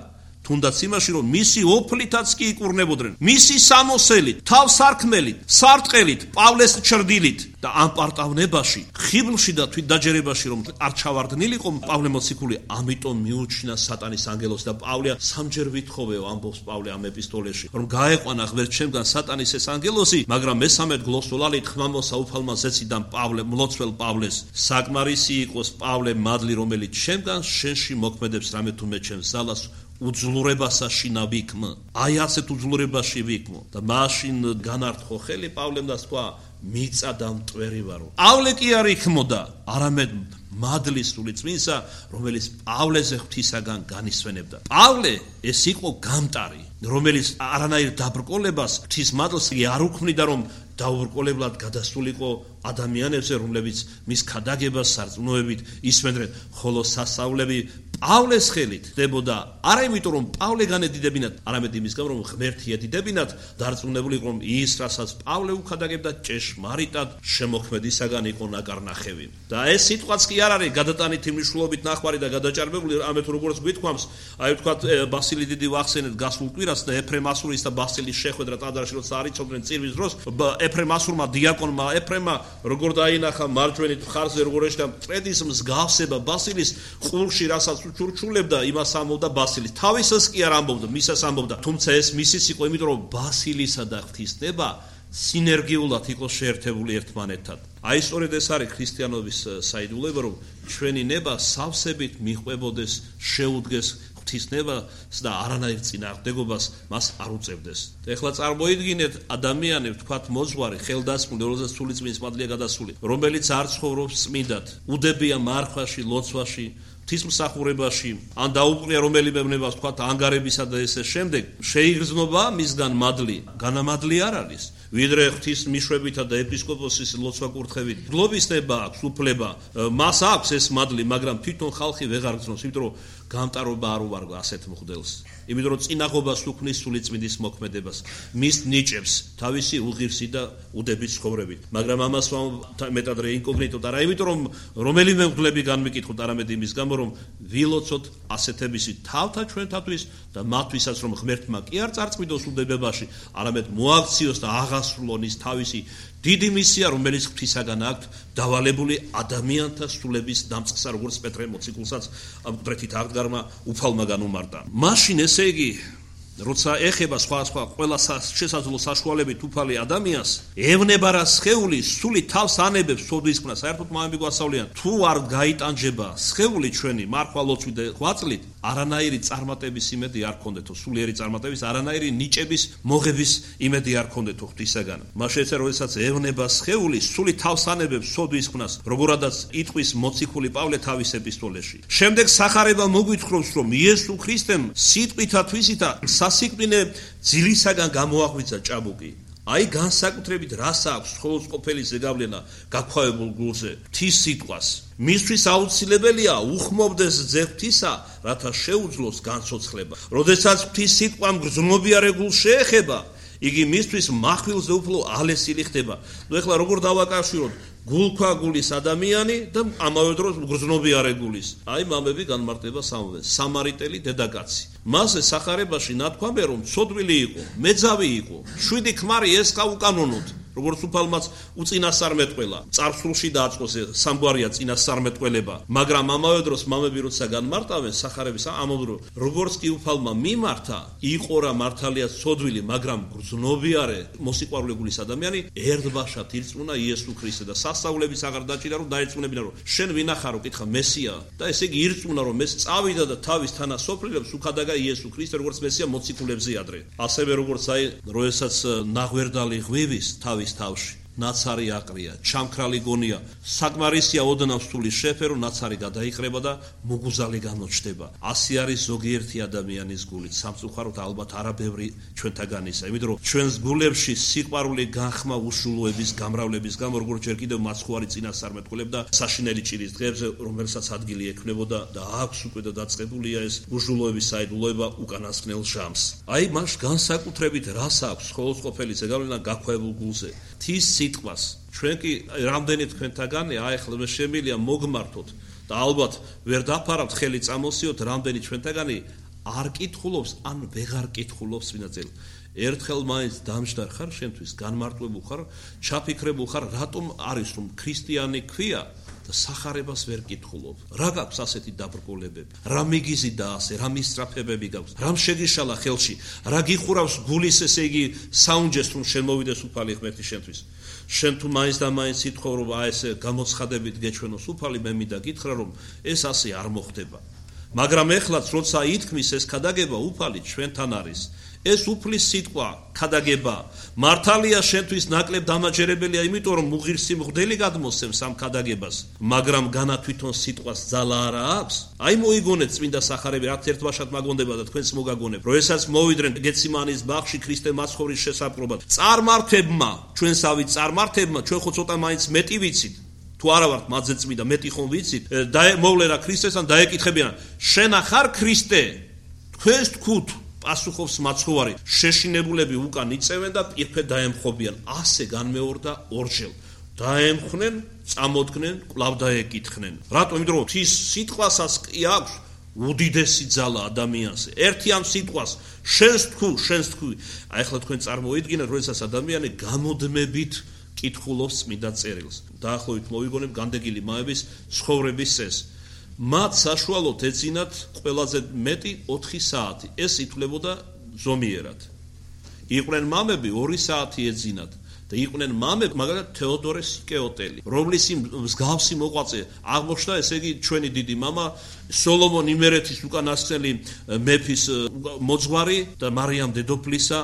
თუნდაც იმაში, რომ მისი ოფლითაც კი იკურნებოდნენ, მისი სამოსელით, თავსარქმელით, სარტყელით, პავლეს ჩრდილით და ამ პარტავნებაში, ხიბლში და თვით დაჯერებაში, რომ არ ჩავარდნილიყო პავლე მოციქული, ამიტომ მიუჩინა სატანის ანგელოს და პავლე სამჯერ ვითხოვეო, ამბობს პავლე ამ ეპისტოლეში, რომ გაეყვანა ღმერთ ჩემგან სატანის ეს ანგელოსი, მაგრამ მესამედ გლოსოლალით ხმამოსა უფალმა ზეციდან პავლე მლოცվել პავლეს. საკმარისი იყოს პავლე მადლი, რომელიც ჩემგან შენში მოქმედებს რამე თუმე ჩემს ზალას უძლურებასაში ნავიქმ. აი ასეთ უძლურებაში ვიქმო და მაშინ განართხოვ ხელი პავლემ და თქვა მიწა და მტვერი ვარო. პავლე კი არ იქმოდა, არამედ მადლის სული წმინსა, რომელიც პავლეზე ღვთისაგან განისვენებდა. პავლე ეს იყო გამტარი, რომელიც არანაირ დაბრკოლებას ღვთის მადლს არ უქმნიდა, რომ დაუბრკოლებლად გადასულიყო ადამიანებზე, რომლებიც მის ქადაგებას სარწმუნოებით ისვენდნენ, ხოლო სასწაულები პავლეს ხელით ხდებოდა, არა იმიტომ რომ პავლე განედიდებინათ, არამედ იმის გამო რომ ღმერთი ედიდებინათ, დარწმუნებული იყო რომ ის, რასაც პავლე უქადაგებდა, ჭეშმარიტად შემოქმედისაგან იყო ნაკარნახევი. და ეს სიტყვაც კი არ არის გადატანითი მნიშვნელობით ნახვარი და გადაჭარბებული, ამეთ როგორც გვითქვამს, აი ვთქვათ ბასილი დიდი ვახსენეთ გასულ კვირას და ეფრემ ასურის და ბასილის შეხვედრა ტაძარში, როცა არიწოდნენ წირვის დროს, ეფრემ ასურმა დიაკონმა ეფრემა როგორ დაინახა მარჯვენით მხარზე როგორ ეშდა მტრედის მსგავსება ბასილის ყურში, რასაც უჩურჩულებდა, იმას ამბობდა ბასილის. თავისას კი არ ამბობდა, მისას ამბობდა. თუმცა ეს მისის იყო, იმიტომ რომ ბასილისა და ღვთისნება სინერგიულად იყო შეერთებული ერთმანეთთან. აი სწორედ ეს არის ქრისტიანობის საიდუმლოება, რომ ჩვენი ნება სავსებით მიყვებოდეს, შეუდგეს ღვთისნებას და არანაირ წინააღმდეგობას მას არ უწევდეს. ეხლა წარმოიდგინეთ ადამიანი, ვთქვათ მოძღვარი, ხელდასმული, რომელზეც სული წმინდის მადლია გადასული, რომელიც არ ცხოვრობს წმინდად, უდებია მარხვაში, ლოცვაში, ღვთისმსახურებაში, ან დაუყრია რომელიმე ნებას, ვთქვათ ანგარებისა და ესე შემდეგ, შეიგრძნობა მისგან მადლი, განამადლი არ არის. ვიდრე ღვთის მიშვებითა და ეპისკოპოსის ლოცვა კურთხევით. გლობის ნება აქვს, უფლება, მას აქვს ეს მადლი, მაგრამ თვითონ ხალხი ვეღარ გრძნობს, იმიტომ რომ გამტარობა არ უვარგო ასეთ მღვდელს. იმიტომ რომ წინაღობას უქმნის სულიწმინდის მოქმედებას, მის ნიჭებს თავისი უღირსი და უდების ცხოვრებით. მაგრამ ამას მეტად რეინკოგნიტოდ არა, იმიტომ რომ რომელიმე მღვდლები განმიკითხოთ, არამედ იმის გამო, რომ ვილოცოთ ასეთებისი თავთა ჩვენთათვის და მათთვისაც, რომ ღმერთმა კი არ წარწმიდოს უდებებაში, არამედ მოაქციოს და აღასრულონ ის თავისი დიდი მისია, რომელიც ღვთისაგან აქვთ დავალებული ადამიანთა სულების დამწყსა, როგორც პეტრე მოციქულსაც მკვდრეთით აღდგარმა უფალმა განუმარტა. მაშინ ესე იგი, როცა ეხება სხვა ყველა შესაძლო საშუალებით უფალი ადამიანს, ევნება რა სხეული სული თავს ანებებს სოდისკნა, საერთოდ მამები გვასწავლიან, თუ არ გაიტანჯება სხეული ჩვენი მარხვა ლოცვით და ღვაწლით, არანაირი წარმატების იმედი არ ქონდეთო, სულიერი წარმატების, არანაირი ნიჭების მოღების იმედი არ ქონდეთო ღვთისაგან. მაშინ ეცა როდესაც ევნება სხეული სული თავს ანებებს სოდისკნას, როგორადაც იტყვის მოციქული პავლე თავის ეპისტოლეში. შემდეგ სახარება მოგვითხრობს, რომ იესო ქრისტემ სიტყვითა თვისითა სასიკვდინე ძილისაგან გამოაღვიძა ჭაბუკი. აი განსაკუთრებით რას აქვს სხეულს ყოფილი ზეგავლენა გაქვავებულ გულზე ღვთის სიტყვას. მისთვის აუცილებელია უხმობდეს ძე ღვთისა, რათა შეუძლოს განცოცხლება. როდესაც ღვთის სიტყვა მგრძნობიარე გულს შეეხება, იგი მისთვის מחვილზე უფრო ალესილი ხდება. ნუ ეხლა როგორ დავაკავშიროთ გულქვაგულის ადამიანი და ამავე დროს მგრძნობიარე გულის. აი მამები განმარტება სამვეს. სამარიტელი დედაკაცი. მასზე სახარებაში ნათქვამია, რომ ცოდვილი იყო, მეძავი იყო, 7 ქმარი ესხა უკანონოდ. როგორც უფალმაც უწინასწარმეტყველა, წარსულში დააწყოს სამგვარია წინასწარმეტყველება, მაგრამ ამავე დროს მამები როცა განმარტავენ სახარების ამავდრო, როგორც კი უფალმა მიმართა, იყო რა მართალია ცოდვილი, მაგრამ გრძნობიარე მოსიყვარულე გულის ადამიანი, ერთბაშად ირწმუნა იესო ქრისტე და სასწაულების აღარ დაჭირა, რომ დაეწმუნებინა, რომ შენ ვინახარო, კითხა მესია და ესე იგი ირწმუნა, რომ ეს წავიდა და თავის თანასოფლელებს უხადაგა იესო ქრისტე, როგორც მესია მოციქულებზე ადრე. ასევე როგორც აი, როდესაც ნაღვერდალი ღვივის თავში ნაცარი აყრია, ჩამქრალი გონია, საკმარისია ოდნავ სული შეფერო, ნაცარი გადაიყრება და მუგუზალი გამოჩნდება. ასე არის ზოგიერთი ადამიანის გულით. სამწუხაროდ ალბათ არაბევრი ჩვენთაგანისა, იმიტომ რომ ჩვენს გულებში სიყვარული განხმა უშულოების გამრავლების გამო, როგორც ჯერ კიდევ მაცხვარი წინასწარმეტყველებდა საშინელი ჭირის დღეებზე, რომელსაც ადგილი ექნებოდა და აქვს უკვე და დაწყებულია ეს უშულოების საიდუმლოება უკანასკნელ ჟამს. აი მას განსაკუთრებით რას აქვს სხეულს ყოფილი ზეგავლენა გაქვავებულ გულზე. სიტყვას ჩვენ კი რამდენი თქვენთაგანი აეხლა შემილია მოგმართოთ და ალბათ ვერ დაფარავთ ხელი წამოსიოთ რამდენი ჩვენთაგანი არ კითხულობს ან ვეღარ კითხულობს ვინაცელ ერთხელ მაინც დამჯდარ ხარ შენთვის განმარტვებულ ხარ ჩაფიქრებულ ხარ რატომ არის რომ ქრისტიანი ქვია და სახარებას ვერ კითხულობ. რა გაქვს ასეთი დაბრკოლებები? რა მიგიზი და ასე, რა მისწრაფებები გაქვს? რამ შეგიშალა ხელში? რა გიხურავს გულის ესე იგი საუნჯეს რომ შენ მოვიდეს უფალი ღმერთი შენთვის? შენ თუ მაინც და მაინც ითხოვ რომ აი ესე გამოცხადებით გეჩვენოს უფალი მე მინდა გითხრა რომ ეს ასე არ მოხდება. მაგრამ ეხლაც როცა ითქმის ეს ქადაგება უფალი ჩვენთან არის. ეს უფლის სიტყვა ქადაგება მართალია შენთვის ნაკლებ დამაჯერებელია იმიტომ რომ მუღირსი მღვდელი გადმოსცემს ამ ქადაგებას მაგრამ განა თვითონ სიტყვას ძალა არა აქვს აი მოიგონეთ წმინდა სახარები რაც ერთბაშად მაგონდება და თქვენს მოგაგონებ როდესაც მოვიდნენ გეციმანის ბაღში ქრისტე მაცხოვრის შესაპყრობად წარმართებმა ჩვენსავით წარმართებმა ჩვენ ხო ცოტა მაინც მეტი ვიცით თუ არა ვართ მათზე წმინდა მეტი ხომ ვიცით და მოვლერა ქრისტესთან დაეკითხებიან შენ ახარ ქრისტე თქვენს თქვით პასუხობს მაცხოვარი შეშინებულები უკან იწევენ და პირფე დაემხობიან ასე განმეორდა ორჯერ დაემხნენ წამოდგნენ კვლავ დაეკითხნენ რატომ იმიტომ რომ ის სიტყვასაც კი აქვს უდიდესი ძალა ადამიანზე ერთი ამ სიტყვას შენს თქვი აი ახლა თქვენ წარმოიდგინეთ როდესაც ადამიანი გამოდმებით კითხულობს წმინდა წერილს დაახლოებით მოვიგონებ განდეგილი მაების ცხოვრების წესს მათ საშუალოდ ეძინათ ყველაზე მეტი 4 საათი. ეს ითვლებოდა ზომიერად. იყვნენ მამები 2 საათი ეძინათ და იყვნენ მამები, მაგალითად თეოდორე სიკეოტელი, რომლის მსგავსი მოღვაწე აღმოჩნდა, ესე იგი ჩვენი დიდი მამა სოლომონ იმერეთის უკანასკნელი მეფის მოძღვარი და მარიამ დედოფლისა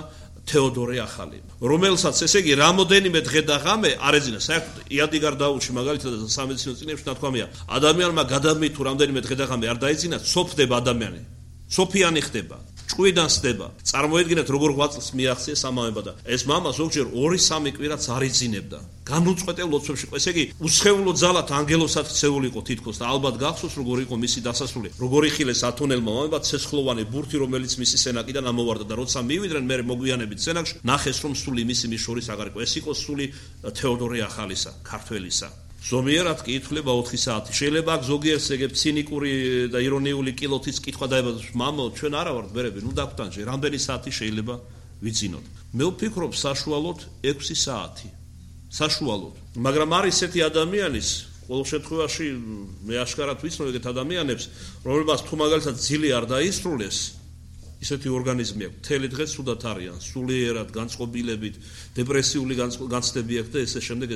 თეოდორე ახალი, რომელსაც ესე იგი რამოდენიმე დღე და ღამე არ ეძინა. საერთოდ იადიგარ დაულში მაგალითად სამედიცინო წიგნებში ნათქვამია, ადამიანმა გადამი თუ რამდენიმე დღე და ღამე არ დაეძინა, სოფდება ადამიანი. სოფიანი ხდება. ჭკვიდან სდება. წარმოედგინეთ როგორ ღვაწლს მიაღწიეს ამავება და ეს მამა ზოგჯერ 2-3 კვირაც არ იძინებდა. განუწყვეტელ ლოცვებში. ესე იგი, უცხეულო ძალათ ანგელოსად ქცეული იყო თითქოს და ალბათ გახსოვს როგორ იყო მისი დასასრული. როგორ იხილეს ათონელმა მამებმა ცეცხლოვანი ბურთი, რომელიც მისი სენაკიდან ამოვარდა და როცა მივიდნენ მე მოგვიანებით სენაკში, ნახეს რომ სული მისი მის შორის აღარ იყო. ეს იყო სული თეოდორე ახალისა, ქართველისა. ზომიერად კი ითვლება 4 საათი. შეიძლება აქ ზოგიერთს ეგ ცინიკური და ირონიული კილოთის კითხვა დაებადოს. მამო, ჩვენ არა ვართ ბერები, ნუ დაგვტანჯე, რამდენი საათი შეიძლება ვიცინოთ. მე ვფიქრობ საშუალოდ 6 საათი. საშუალოდ. მაგრამ არის ესეთი ადამიანის, ყოველ შემთხვევაში მე აშკარად ვიცნობ ეგეთ ადამიანებს, რომელმაც თუ მაგალითად ძილი არ დაისრულეს, ისეთი ორგანიზმი აქვს, მთელი დღე სუდათ არიან, სულიერად, განწყობილებით, დეპრესიული განცდები აქვს და ესე შემდეგ.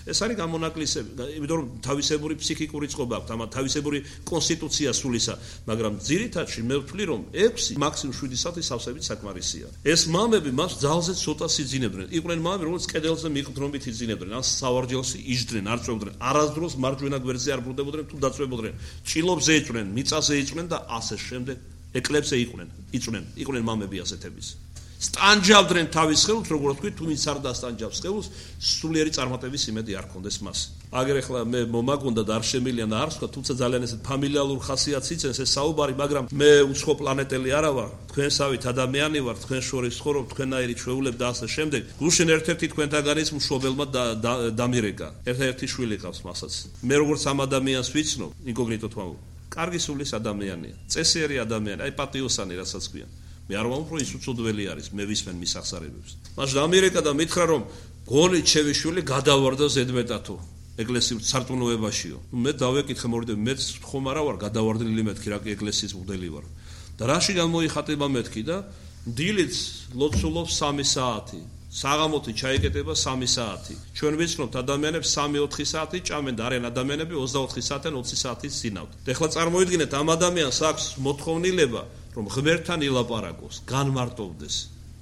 ეს არის გამონაკლისები, იმიტომ რომ თავისებური ფსიქიკური წყობა აქვს, ამათ თავისებური კონსტიტუცია სულისა, მაგრამ ძირითადში მე ვთვლი რომ 6, მაქსიმუმ 7 საათი სავსებით საკმარისია. ეს მამები მას ძალზე ცოტა იძინებდნენ. იყვნენ მამები, რომლებიც კედელზე მიყრდნობით იძინებდნენ, ან სავარჯელში იჯდნენ, არ წვევდნენ, არასდროს მარჯვენა გვერდზე არ ბრუნდებოდნენ, თუ დაწვებოდნენ, ჭილობზე იჭნენ, მიწაზე იჭნენ და ასე შემდეგ. ეკლებზე იყვნენ მამები ასეთების. სტანჯავდნენ თავის ხელს, როგორ ვთქვი, თუ ვინც არ დასტანჯავს ხელს, სულიერი წარმატების იმედი არ ქონდეს მას. აგერ ახლა მე მომაგონდა და არ შემილია და არ ვსვლა, თუმცა ძალიან ესეთ ფამილიალურ ხასიათს იცენს ეს საუბარი, მაგრამ მე უცხო პლანეტელი არა ვარ, თქვენსავით ადამიანი ვარ, თქვენ შორის ცხოვრობ, თქვენაირი ჩვეულებ და ასე შემდეგ. გუშინ ერთ-ერთი თქვენთაგანის მშობელმა დამირეკა. ერთ-ერთი შვილი ყავს მასაც. მე როგორც ამ ადამიანს ვიცნობ, ინკოგნიტო თვალ. კარგი სულის ადამიანია, წესიერი ადამიანია, აი პატიოსანი რასაც ქვიან. მე არ ვამბობ, რომ ის უცოდველი არის, მე ვისმენ მის აღსარებებს. მას დამირეკა და მითხრა, რომ გონით შევიშვილი გადავარდა ზედმეტათო, ეკლესიურ სარწმუნოებაშიო. მე დავეკითხე მორიდე, მეც ხომ არა ვარ გადავარდნილი მეთქი, რა კი ეკლესიის მღვდელი ვარ. და რაში გამოიხატება მეთქი და დილით ლოცულობს 3 საათი. საღამოთი ჩაიკეტება 3 საათი. ჩვენ ვიცნობთ ადამიანებს 3-4 საათი ჭამენ და არიან ადამიანები 24 საათიდან 20 საათის წინავთ. ეხლა წარმოიდგინეთ ამ ადამიანს აქვს მოთხოვნილება, რომ ღმერთთან ილაპარაკოს, განმარტოვდეს,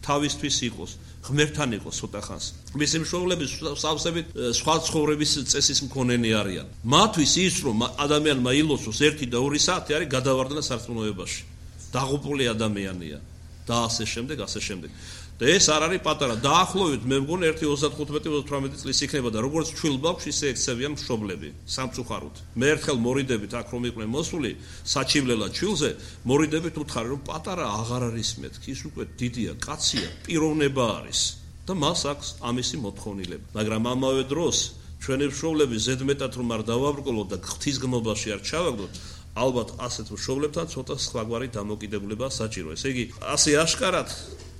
თავისთვის იყოს, ღმერთთან იყოს ცოტა ხანს. მისი მშობლები სავსებით სხვა ცხოვრების წესის მქონენი არიან. მათთვის ის რომ ადამიანმა ილოცოს 1 და 2 საათი არის გადავარდნა სარწმუნოებაში. დაღუპული ადამიანია და ასე შემდეგ. და ეს არ არის პატარა. დაახლოებით მე მგონი 1.35-38 წლის იქნება და როგორც ჩვილ ბავშვს ისე ექცევიან მშობლები სამწუხაროდ. მე ერთხელ მორიდებით აქ რომ იყვნენ მოსული საჩივლელა ჩვილზე, მორიდებით უთხარი რომ პატარა აღარ არის მეთქი, ის უკვე დიდია, კაცია, პიროვნება არის და მას აქვს ამისი მოთხოვნილება. მაგრამ ამავე დროს ჩვენი მშობლები ზედმეტად რომ არ დავაბრკოლოთ და ღვთისგმობაში არ ჩავაგდოთ, ალბათ ასეთ მშობლებთან ცოტა სხვაგვარი დამოკიდებულება საჭირო. ესე იგი, ასე აშკარად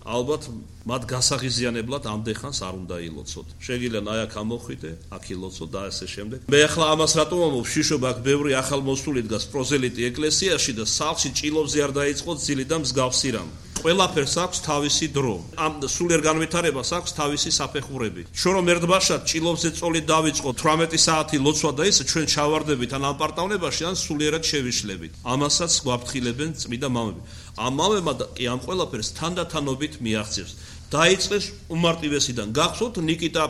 ალბათ მათ გასაღიზიანებლად ამდენ ხანს არ უნდა ილოცოთ. შეგიძლია აი აქ ამოხვიდე, აქ ილოცოთ და ასე შემდეგ. მე ახლა ამას რატომ ამბობ, შიშობა აქ ბევრი ახალმოსული დგას პროზელიტი ეკლესიაში და სახლში ჭილობზე არ დაიწყოთ ძილი და მსგავსი რამ. ყველაფერს აქვს თავისი დრო. ამ სულიერ განვითარებას აქვს თავისი საფეხურები. ჩვენ რომ ერთბაშად ჭილობზე წოლი დავიწყოთ 18 საათი ლოცვა და ისე ჩვენ ჩავარდებით ან ამპარტავნებაში ან სულიერად შევიშლებით. ამასაც გვაფრთხილებენ წმიდა მამები. ამ მამებმა კი ამ ყველაფერს თანდათანობით მიაღწევს. დაიწყეს უმარტივესიდან. გახსოვთ ნიკიტა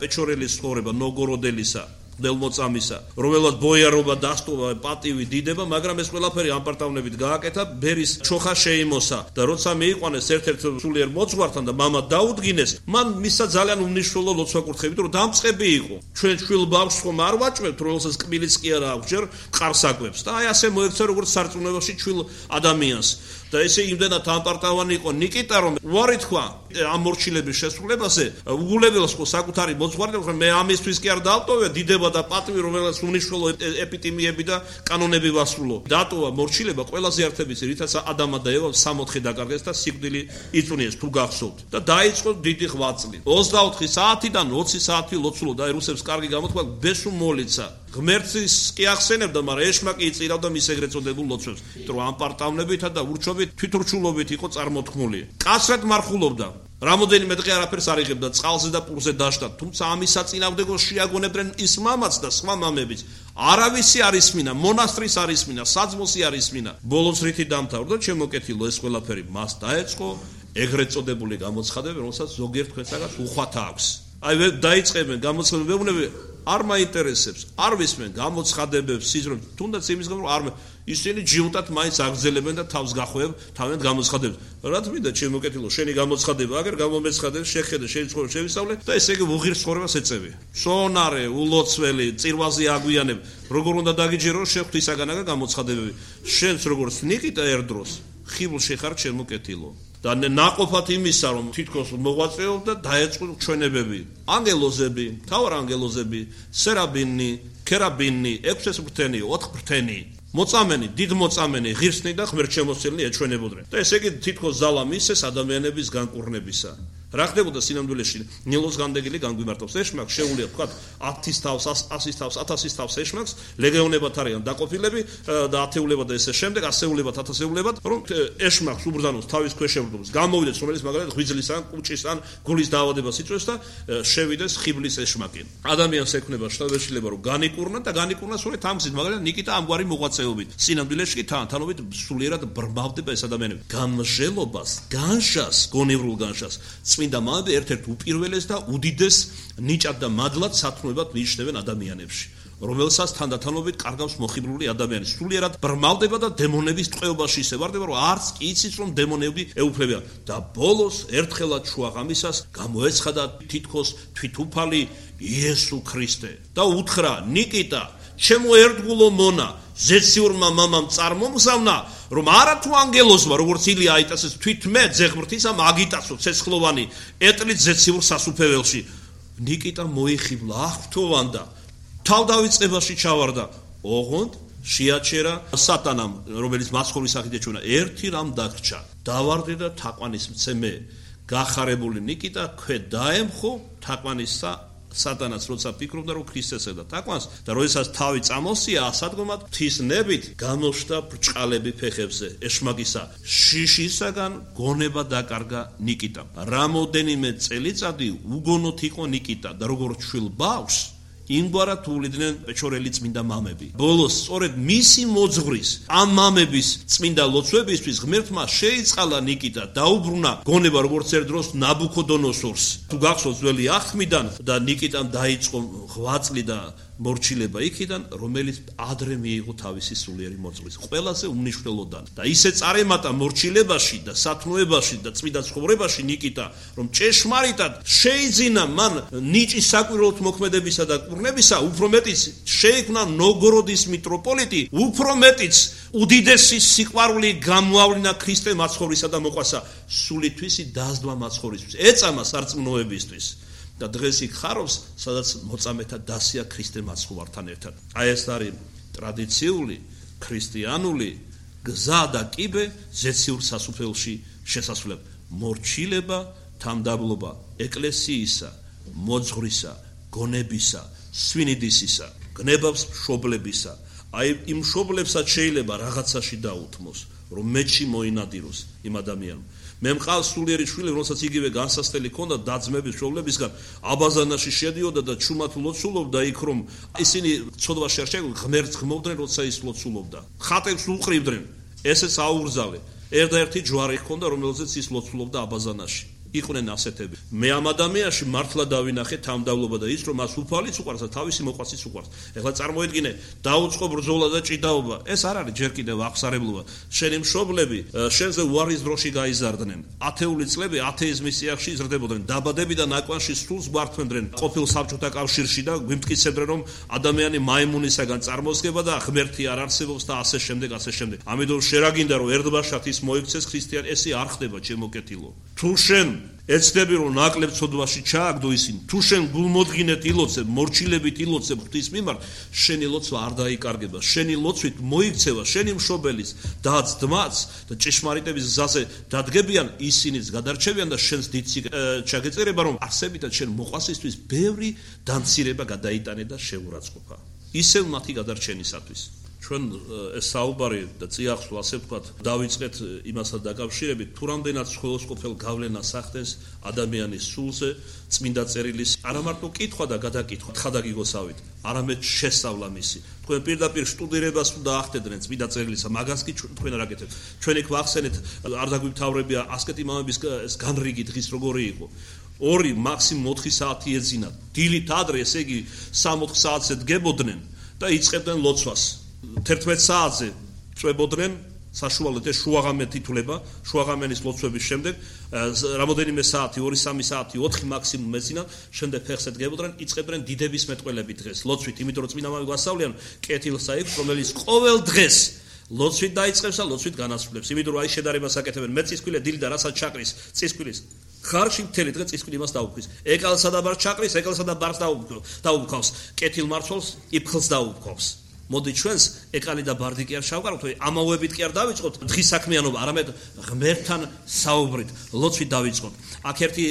პეჩორელის ცხოვრება, ნოგოროდელისა, დელმოწამისა, რომელად ბოიარობა დასტოვა, პატივი, დიდება, მაგრამ ეს ყველაფერი ამპარტავნებით გააკეთა, ბერის ჩოხა შეიმოსა და როცა მიიყვანეს ერთ-ერთ სულიერ მოძღვართან და მამა დაუდგინეს, მან მისცა ძალიან უმნიშვნელო ლოცვა კურთხევით, რომ დამწყები იყო. ჩვენ შვილ ბავშვს ხომ არ ვაჭმევთ, რომელსაც კბილიც კი არა აქვს, ჯერ ყარს აკვებს და აი ასე მოექცა როგორც სარწმუნოებაში შვილ ადამიანს. და ესე იმდენად ამპარტავანი იყო ნიკიტა, რომ უარი თქვა ამ მორჩილების შესრულებაზე, უგულებელს ხო საკუთარი მოძღვარი, რომ მე ამისთვის კი არ დავტოვე დიდება და პატივი, რომელსაც უმნიშვნელო ეპიტიმიები და კანონები ვასრულო. დატოვა მორჩილება ყველაზე ერთებიც, რითაც ადამა და ევა 64 დაკარგეს და სიკვდილი იწვნიეს, თუ გახსოვთ. და დაიწყო დიდი ღვაწლი. 24 საათიდან 20 საათი ლოცულო და რუსებს კარგი გამოთქვა, ბესუ მოლიცა. ღმერთის კი ახსენებდა, მაგრამ ეშმა კი იწირავდა მის ეგრეთ წოდებულ ლოცვებს, რომ ამპარტავნებითა და ურჩობით თვითურჩულობით იყო წარმოთქმული. კაცრად მარხულობდა. რამოდენიმე დღე არაფერს არ იღებდა, წყალზე და პურზე დაშტა, თუმცა ამის საწინააღმდეგოს შეაგონებდნენ ის მამაც და სხვა მამებიც. არავისი არ ისმინა, მონასტრის არ ისმინა, საძმოსი არ ისმინა. ბოლოს რითი დამთავრდა, შემოკეთილო ეს ყველაფერი მას დაეწყო ეგრეთ წოდებული გამოცხადებები, რომელსაც ზოგიერთ თქვენსაგანს უხვათა აქვს. აი დაიწყებენ გამოცხადებებები არ მაინტერესებს, არ ვისმენ გამოცხადებებს, სიზრუნ, თუნდაც იმის გამო არ ისინი ჯიუტად მაინც აგრძელებენ და თავს გახვევენ თავიანთ გამოცხადებებს. რა თქმა უნდა, ჩემ მოკეთილო, შენი გამოცხადება, აგერ გამომეცხადებს, შეხედე, შენი ცხოვრება შევისწავლე და ესე იგი უღირს ცხოვრებას ეწევი. სონარე, ულოცველი, წირვაზე აგვიანებ, როგორ უნდა დაგიჯერო, შეხვთვისაგანაა გამოცხადებები. შენს როგორც ნიკიტა ერდროს, ხიბლში ხარ ჩემ მოკეთილო. და ნაყოფად იმისა, რომ თითქოს მოღვაწეობ და დაეწყო ჩვენებები. ანგელოზები, მთავარ ანგელოზები, სერაბინი, ქერაბინი, 6 ფრთენი, 4 ფრთენი. მოწამენი, დიდ მოწამენი, ღირსნი და ღმერთშემოსილნი ეჩვენებოდნენ. და ესე იგი თითქოს ზალა მისეს ადამიანების განკურნებისა. რა ხდებოდა სინამდვილეში? ნილოს განდეგილი განგვიმარტავს. ეშმაკს შეუძლია თქვა 10-ის თავს, 100-ის თავს, 1000-ის თავს ეშმაკს, ლეგეონებად არიან დაყოფილები და ათეულებად და ესე შემდეგ, ასეულებად, ათასეულებად, რომ ეშმაკს უბრძანოს თავის ქვეშ შევრდოს. გამოვიდეს რომელიც მაგალითად ღვიძლის ან კუჭის ან გულის დაავადებას იწვევს და შევიდეს ხიბლის ეშმაკი. ადამიანს ექნება შთაბეჭდილება რომ განიკურნა და განიკურნა სწორედ ამ გზით, მაგალითად ნიკიტა ამგვარი მოღვაწეობით. სინამდვილეში კი თანთანობით სულიერად ბრმავდება ეს ადამიანები. გამჟელობას, განშას, გონევრულ განშას წმინდა მამები ერთ-ერთ უპირველეს და უდიდეს ნიჭად და მადლად სათნოებად მიიჩნევენ ადამიანებში, რომელსაც თანდათანობით კარგავს მოხიბლული ადამიანი. სულიერად ბრმავდება და დემონების ტყვეობაში ისე ვარდება, რომ არც კი იცის, რომ დემონები ეუფლებიან. და ბოლოს ერთხელაც შუაღამისას გამოეცხადა თითქოს თვითუფალი იესო ქრისტე და უთხრა: ნიკიტა, ჩემო ერთგულო მონა, ზეციურმა მამამ წარმომგზავნა, რომ არათუ ანგელოზმა, როგორც ილია აიტასეს, თვითმე ძეღმრთისა მაგიტასო ცეცხლოვანი ეტლით ზეციურ სასუფეველში. ნიკიტა მოიხიბლა, აღფრთოვანდა, თავდავიწყებაში ჩავარდა. ოღონდ შეაჩერა სატანამ, რომელიც მაცხოვრის სახით ეჩვენა, ერთი რამ დაგრჩა. დავარდე და თაყვანის მცემე. გახარებული ნიკიტა ქვე დაემხო თაყვანისა სატანას, როცა ფიქრობდა, რომ ქრისტეს ედა თაყვანს და როდესაც თავი წამოსია ასადგომად, ღვთისნებით გამოშთა ბრჭყალები ფეხებზე ეშმაკისა. შიშისაგან გონება დაკარგა ნიკიტამ. რამოდენიმე წელიწადი უგონოთ იყო ნიკიტა და როგორც შვილ ბავშვს იმგვარად უვლიდნენ პეჩორელი წმინდა მამები. ბოლოს სწორედ მისი მოძღვრის, ამ მამების წმინდა ლოცვებისთვის ღმერთმა შეიწყალა ნიკიტა, დაუბრუნა გონება როგორც ერთ დროს ნაბუქოდონოსორს. თუ გახსოვთ ძველი აღთმიდან და ნიკიტამ დაიწყო ღვაწლი და მორჩილება იქიდან, რომელიც ადრე მიიღო თავისი სულიერი მოძღვრის. ყველაზე უმნიშვნელოდან და ისე წარემატა მორჩილებაში და სათნოებაში და წმინდა ცხოვრებაში ნიკიტა, რომ ჭეშმარიტად შეიძინა მან ნიჭის საკვირველთ მოქმედებისა და კურნებისა, უფრო მეტიც შეიქმნა ნოვგოროდის მიტროპოლიტი, უფრო მეტიც უდიდესი სიყვარული გამოავლინა ქრისტე მაცხოვრისა და მოყვასა სულითვისი დაზდვა მაცხოვრისთვის, ეწამა სარწმუნოებისთვის. და დღეს იქ ხარობს, სადაც მოწამეთა დასია ქრისტე მაცხოვართან ერთად. აი ეს არის ტრადიციული ქრისტიანული გზა და კიბე ზეციურ სასუფეველში შესასვლელი. მორჩილება, თამდაბლობა ეკლესიისა, მოძღვრისა, გონებისა, სვინიდისისა, გნებავს მშობლებისა. აი იმ მშობლებსაც შეიძლება რაღაცაში დაუთმოს, რომ მეჩი მოინადიროს იმ ადამიანს. მე მყავს სულიერი შვილი, რომელსაც იგივე განსასწრელი ჰქონდა დაძმების მშობლებისგან, აბაზანაში შედიოდა და ჩუმად ლოცულობდა იქ, რომ ისინი ცოდვაში არ შეგვი ღმერთს ღმობდნენ, როცა ის ლოცულობდა. ხატებს უყრივდნენ, ესეც აუგზავე. ერთ-ერთი ჯვარი ჰქონდა, რომელზეც ის ლოცულობდა აბაზანაში. იყვნენ ასეთები. მე ამ ადამიანში მართლა დავინახე თამდავლობა და ის, რომ მას უფალიც უყვარს და თავისი მოყვასიც უყვარს. ეხლა წარმოედგინე, დაუწყო ბრძოლა და ჭიდაობა. ეს არ არის ჯერ კიდევ აღსარებლობა. შენი მშობლები შენზე უარის დროში გაიზარდნენ. ათეული წლები ათეიზმის წიაღში იზრდებოდნენ. დაბადები და ნაკვანში სულს გვართმენდნენ ყოფილ საბჭოთა კავშირში და გვიმტკიცებდნენ, რომ ადამიანი მაიმუნისაგან წარმოსგება და ღმერთი არ არსებობს და ასე შემდეგ, ასე შემდეგ. ამიტომ შერაგინდა, რომ ერთბაშად ის მოიქცეს ქრისტიანი, ესე არ ხდება, ჩემო კეთილო. თუ შენ ეცდები, რომ ნაკლებ ცოდვაში ჩააგდო ისინი, თუ შენ გულმოდგინეთ ილოცებ, მორჩილებით ილოცებ ღვთის მიმართ, შენი ლოცვა არ დაიკარგება, შენი ლოცვით მოიქცევა შენი მშობელის დაც ძმაც და ჭეშმარიტების გზაზე დადგებიან, ისინიც გადარჩევიან და შენს დიდ ჩაგეწერება, რომ არსებითად შენ მოყვასისთვის ბევრი დამცირება გადაიტანე და შეურაცხყოფა. ისევ მათი გადარჩენისათვის. ჩვენ ეს საუბარი და წიაღსვლა, ასე ვთქვათ, დავიწყეთ იმასთან დაკავშირებით, თუ რამდენად სხვადასხვაყოფილ გავლენას ახდენს ადამიანის სულზე წმინდა წერილის არა მარტო კითხვა და გადაკითხვა, თხადაგიგოსავით, არამედ შესწავლა მისი. თქვენ პირდაპირ სტუდირებას უნდა ახდენდნენ წმინდა წერილისა, მაგას კი თქვენ არ აკეთებთ. ჩვენ იქ ვახსენეთ, არ დაგვიმთავრებია ასკეტი მამების ეს განრიგი დღის როგორი იყო. 2 მაქსიმუმ 4 საათი ეძინათ. დილით ადრე, ესე იგი 3-4 საათზე დგებოდნენ და იწყებდნენ ლოცვას. 11 საათზე წვებოდნენ, საშუალოდ ეს შუაღამე თითულება, შუაღამენის ლოცვების შემდეგ რამოდენიმე საათი, 2-3 საათი, 4 მაქსიმუმ ეძინათ, შემდეგ ფეხზე დგებოდნენ, იწყებდნენ დიდების მეტყველები დღეს, ლოცვით, იმიტომ რომ წმინდა მამები გვასწავლიან კეთილს აიღებს, რომელიც ყოველ დღეს ლოცვით დაიწყებს და ლოცვით განასრულებს. იმიტომ რომ აი შედარებას აკეთებენ მეწისქვილე დილით და რასაც ჩაკრის წისქვილის ხარში მთელი დღე წისქვილი იმას დაუქმნის. ეკალსა და ბარს ჩაკრის, ეკალსა და ბარს დაუქმავს. კეთილ მარცვალს იფხლს დაუქმავს. მოდი ჩვენს ეკალი და ბარდი კი არ შევყარავთ, ამავებით კი არ დავიწყოთ დღის საქმიანობა, არამედ ღმერთთან საუბრით, ლოცვით დავიწყოთ. აქ ერთი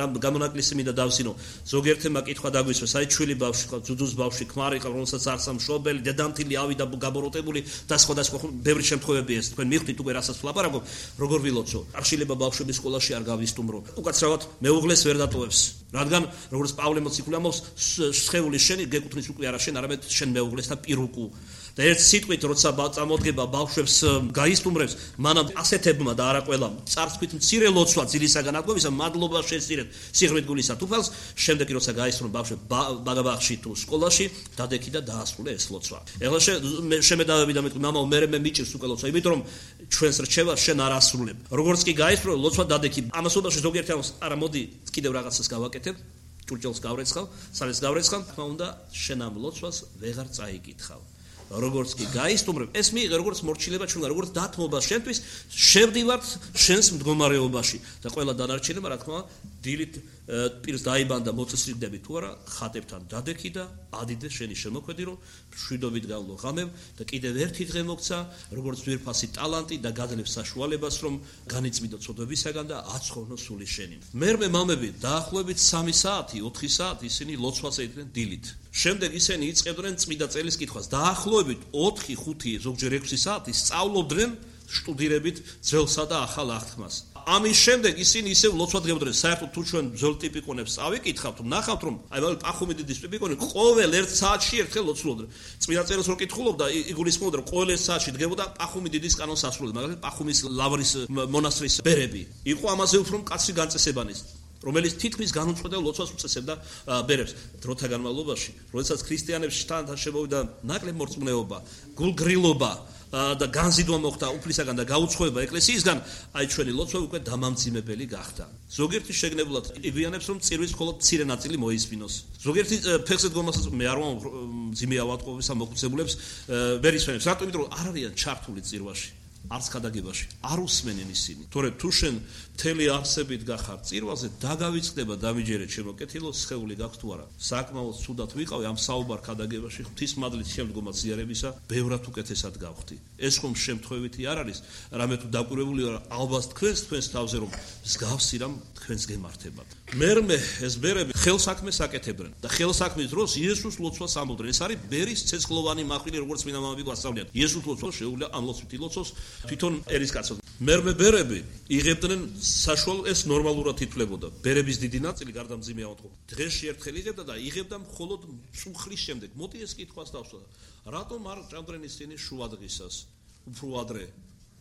რამ გამონაკლისი მინდა დავსინო. ზოგიერთმა კითხვა დაგვისვეს, აი ჩვილი ბავშვი ყავს, ძუძუს ბავშვი, ქმარი ყავს, რომელსაც არც სამშობელი, დედამთილი ავიდა გაბოროტებული და სხვადასხვა ბევრი შემთხვევებია ეს. თქვენ მიხვდით უკვე რასაც ვლაპარაკობ, როგორ ვილოცო. არ შეიძლება ბავშვები სკოლაში არ გავისტუმრო. უკაცრავად მეუღლეს ვერ დატოვებს. რადგან როგორც პავლე მოციქული ამბობს, სხეული შენი გეკუთვნის უკვე არა შენ, არამედ შენ მეუღლეს და პირუკუ. და ერთ სიტყვით როცა წამოდგება ბავშვებს გაისტუმრებს, მანამ ასეთებმა და არა ყველამ წარსქვით მცირე ლოცვა ძილისაგან აკვებისა, მადლობა შეესწირეთ სიღრმით გულისა თუფალს, შემდეგ კი როცა გაისწრონ ბავშვები ბაღში თუ სკოლაში, დადექი და დაასრულე ეს ლოცვა. ეხლა შემედავები და მეთქვი, მამაო, მე მიჭირს უკვე ლოცვა, იმიტომ რომ ჩვენს რჩევას შენ არ ასრულებ. როგორც კი გაისწრო ლოცვა დადექი. ამასობაში ზოგიერთი ამას არა მოდი კიდევ რაღაცას გავაკეთებ. ჭურჭელს გავრეცხავ, სალეს გავრეცხავ, თქმა უნდა, შენ ამ ლოცვას ვეღარ წაიკითხავ. როგორც კი გაისტუმრებ, ეს მიიღე როგორც მორჩილება ჩვენგან, როგორც დათმობა შენთვის, შევდივართ შენს მდგომარეობაში და ყველა დანარჩენება, რა თქმა უნდა, დილით პირს დაიბანდა მოწესრიგდები თუ არა, ხატებთან დადექი და ადიდე შენი შემოქმედი, რომ მშვიდობით გავლო ღამებ და კიდევ ერთი დღე მოგცა, როგორც ძვირფასი ტალანტი და გადლებს საშუალებას, რომ განიწმინდო ცოდვებისაგან და აცხოვრნო სული შენი. მერმე მამები დაახლოებით 3 საათი, 4 საათი ისინი ლოცვას ედგნენ დილით. შემდეგ ისინი იწყებდნენ წმინდა წელის კითხვას. დაახლოებით 4-5, ზოგჯერ 6 საათი სწავლობდნენ შტუდირებით ძველსა და ახალ აღთქმას. ამის შემდეგ ისინი ისევ ლოცვა დგებოდნენ. საერთოდ თუ ჩვენ ძველ ტიპიკონებს წავიკითხავთ, ნახავთ რომ აი პახუმიდიდის ტიპიკონი ყოველ 1 საათში ერთხელ ლოცულობდნენ. წმინდა წერილს რო კითხულობდა, იგულისხმობდა რომ ყოველ 1 საათში დგებოდა პახუმიდიდის კანონს ასრულებდა, მაგალითად პახუმის ლავრის მონასტრის ბერები. იყო ამაზე უფრო მკაცრი განწესებანის, რომელიც თითქმის განუწყვეტელ ლოცვას უწესებდა ბერებს. დროთა განმავლობაში, როდესაც ქრისტიანებს თან შემოვიდა ნაკლებ მორწმუნეობა, გულგრილობა და განზიდვა მოხდა უფლისაგან და გაუცხოება ეკლესიისგან, აი ჩვენი ლოცვა უკვე დამამძიმებელი გახდა. ზოგიერთი შეგნებულად იგვიანებს, რომ წირვის მხოლოდ მცირე ნაწილი მოისმინოს. ზოგიერთი ფეხზე დგომასაც მე არ ვამბობ მძიმე ავადმყოფობისა მოხუცებულებს ვერ ისვენებს. რატომ? იმიტომ რომ არ არიან ჩართული წირვაში. არც ქადაგებაში არ უსმენენ ისინი. თორემ თუ შენ მთელი არსებით გახარ წირვაზე, დაგავიწყდება დამიჯერე ჩემო კეთილო, სხეული გაქვს თუ არა. საკმაოდ ცუდად ვიყავი ამ საუბარ ქადაგებაში, ღვთისმადლის შემდგომად ზიარებისა, ბევრად უკეთესად გავხდი. ეს ხომ შემთხვევითი არ არის, რამე თუ დაკვირვებული ვარ, ალბათ თქვენს თავზე რომ მსგავსი რამ თქვენს გემართებათ. მერმე ეს ბერები ხელსაქმეს აკეთებდნენ და ხელსაქმის დროს იესოს ლოცვას ამბობდნენ. ეს არის ბერის ცეცხლოვანი მახვილი, როგორც წმინდა მამები გვასწავლიან. იესოს ლოცვა შეუძლია ამ ლოცვით ილოცოს თვითონ ერისკაცად. მერმე ბერები იღებდნენ საშუალო, ეს ნორმალურად ითვლებოდა. ბერების დიდი ნაწილი გარდა მძიმე ავადმყოფობა დღეში ერთხელ იღებდა და იღებდა მხოლოდ წუხლის შემდეგ. მოდი ეს კითხვას დავსვა. რატომ არ ჭამდნენ ისინი შუადღისას? უფრო ადრე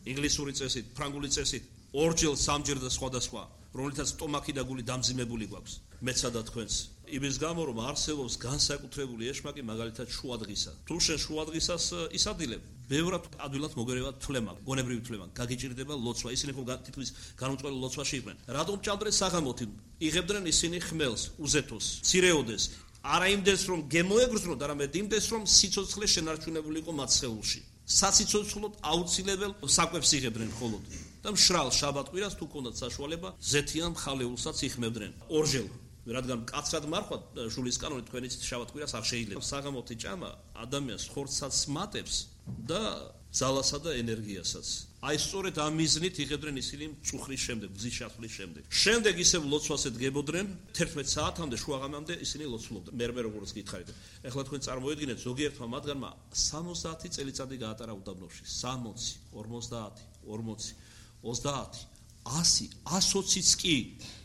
ინგლისური წესით, ფრანგული წესით, ორჯერ, სამჯერ და სხვადასხვა, რომელთაც სტომაქი და გული დამძიმებული გვაქვს. მეცა და თქვენს. იმის გამო რომ არსებობს განსაკუთრებული ეშმაკი, მაგალითად შუადღისა. თუ შენ შუადღისას ისადილებ, ბევრად ადვილად მოგერევა თვლემა, გონებრივი თვლემა, გაგიჭირდება ლოცვა. ისინი ხო თითქმის განუწყვეტ ლოცვაში იყვნენ. რატომ ჭამდნენ საღამოთი? იღებდნენ ისინი ხმელს, უზეთოს, ცირეოდეს. არა იმდეს რომ გემოეგრძნოთ, არამედ იმდეს რომ სიცოცხლე შენარჩუნებული იყო მათ სხეულში. სასიცოცხლოდ აუცილებელ საკვებს იღებდნენ მხოლოდ. და მშრალ შაბათ-კვირას თუ ქონდათ საშუალება, ზეთიან მხალეულსაც იხმევდნენ. ორჯერ რადგან მკაცრად მარხვა ჟულის კანონით თქვენიც შაბათ-კვირას არ შეიძლება. საღამოთი ჭამა ადამიანს ხორცსაც მატებს და ძალასა და ენერგიასაც. აი სწორედ ამ მიზნით იღებდნენ ისინი წუხრის შემდეგ, გზის ჩასვლის შემდეგ. შემდეგ ისევ ლოცვას ედგებოდნენ 11 საათამდე, შუაღამემდე ისინი ლოცულობდნენ. მერმე როგორც გითხარით. ეხლა თქვენ წარმოედგინეთ, ზოგიერთმა მათგანმა 60 წელიწადი გაატარა უდაბნოში. 60, 50, 40, 30, 100, 120-იც კი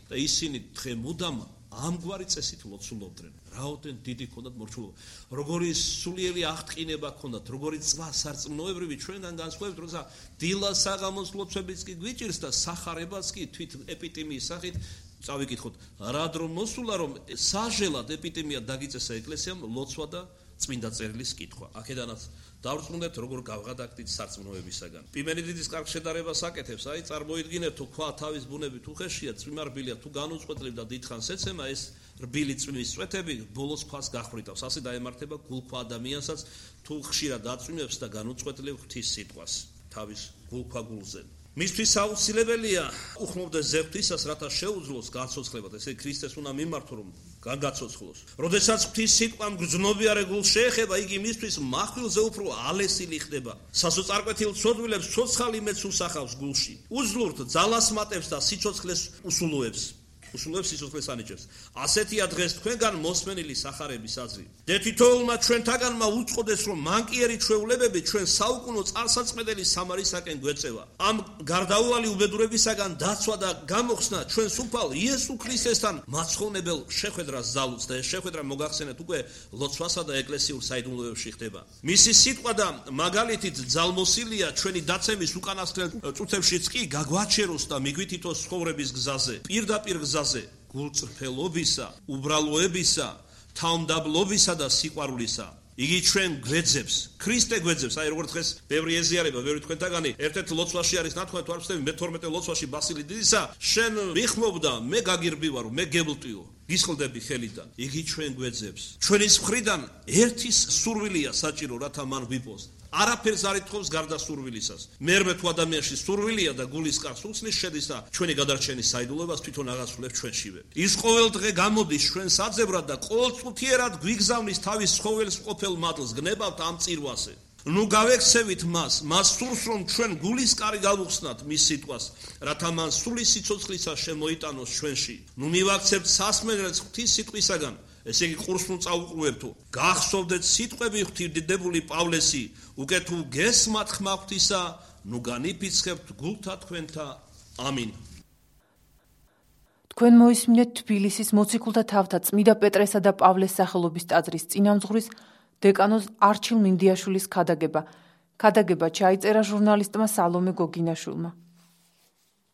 და ისინი დღე მუდამ ამგვარი წესით ლოცულობდნენ. რაოდენ დიდი ქონდათ მორჩულობა. როგორი სულიერი აღტყინება ქონდათ, როგორი წვა სარწმუნოებრივი ჩვენგან განსხვავებით, როცა დილა საღამოს ლოცვებიც კი გვიჭირს და სახარებაც კი თვით ეპიტიმიის სახით წავიკითხოთ, რა დრო მოსულა, რომ საჟელად ეპიდემია დაგიწესა ეკლესიამ ლოცვა და წმინდა წერილის კითხვა. აქედანაც დავრწმუნდეთ, როგორ გავღადაგდით სარწმუნოებისაგან. პიმენიდიდის კარგ შედარებას აკეთებს, წარმოიდგინეთ, თუ ქვა თავის ბუნებით უხეშია, წვიმარბილია, თუ განუწყვეტლივ და დიდხანს ეცემა, ეს რბილი წვიმის წვეთები ბოლოს ქვას გახვრიტავს. ასე დაემართება გულქვა ადამიანსაც, თუ ხშირად აწვიმებს და განუწყვეტლივ ღვთის სიტყვას თავის გულქვა გულზე. მისთვის აუცილებელია უხმობდეს ზეღთვისას, რათა შეუძლოს გაცოცხლებად, ესე ქრისტეს უნდა მიმართო, რომ გაგაცოცხლოს. როდესაც ღვთის სიტყვამ გრძნობიარე გულს შეეხება, იგი მისთვის מחვილზე უფრო ალესილი ხდება. სასოწარკვეთილ ცოდვილებს ცოცხალი მეც უსახავს გულში. უძლურთ ძალას მატებს და სიცოცხლეს უსულოებს. სიცოცხლეს ანიჭებს. ასეთია დღეს თქვენგან მოსმენილი სახარების აზრი. და თითოეულმა ჩვენთაგანმა უწყოდეს, რომ მანკიერი ჩვეულებები ჩვენ საუკუნო წარსაწმედელი სამარისაკენ გვეწევა. ამ გარდაუვალი უბედურებისაგან დაცვა და გამოხსნა ჩვენ სუფალ იესო ქრისტესთან მაცხოვნებელ შეხვედრას ზალუց და ეს შეხვედრა მოგახსენეთ უკვე ლოცვასა და ეკლესიურ საიდუმლოებში ხდება. მისი სიტყვა და მაგალითით ძალმოსილია ჩვენი დაცემის უკანასკნელ წუთებშიც კი გაგვაჩეროს და მიგვითითოს ცხოვრების გზაზე, პირდაპირ გზაზე გულწრფელობისა, უბრალოებისა, თავმდაბლობისა და სიყვარულისა. იგი ჩვენ გვეძებს, ქრისტე გვეძებს, როგორც დღეს ბევრი ეზიარება, ბევრი თქვენთაგანი ერთ-ერთ ლოცვაში არის ნათქვამი, თუ არ ვცდები, მე-12 ლოცვაში ბასილი დიდისა, შენ ვიხმობ და მე გაგირბივარო, მე გევლტიო, გისხლდები ხელიდან. იგი ჩვენ გვეძებს. ჩვენის მხრიდან ერთის სურვილია საჭირო, რათა მან ვიპოს. არაფერს არ ითხოვს გარდა სურვილისას. მერმე თუ ადამიანში სურვილია და გულის კარს უხსნის, შედის და ჩვენი გადარჩენის საიდუმლოებას თვითონ აღასრულებს ჩვენშივე. ის ყოველ დღე გამოდის ჩვენ საძებრად და ყოველწუთიერად გვიგზავნის თავის ცხოველს ყოფილ მადლს, გნებავთ ამ წირვაზე. ნუ გავექცევით მას სურს, რომ ჩვენ გულის კარი გავუხსნათ მის სიტყვას, რათა მან სული სიცოცხლისა შემოიტანოს ჩვენში. ნუ მივაქცევთ სასმელს ღვთის სიტყვისაგან, ესე იგი ყურს ნუ წაუყრუებთო. გახსოვდეთ სიტყვები ღვთისმდიდრებული პავლესი, უკვე თუ გესმათ ხმა ღვთისა, ნუ განიფიცხებთ გულთა თქვენთა. ამინ. თქვენ მოისმინეთ თბილისის მოციქულთა თავთა წმიდა პეტრესა და პავლეს სახელობის ტაძრის წინამძღვრის დეკანოზ არჩილ მინდიაშვილის ქადაგება. ქადაგება ჩაიწერა ჟურნალისტმა სალომე გოგინაშვილმა.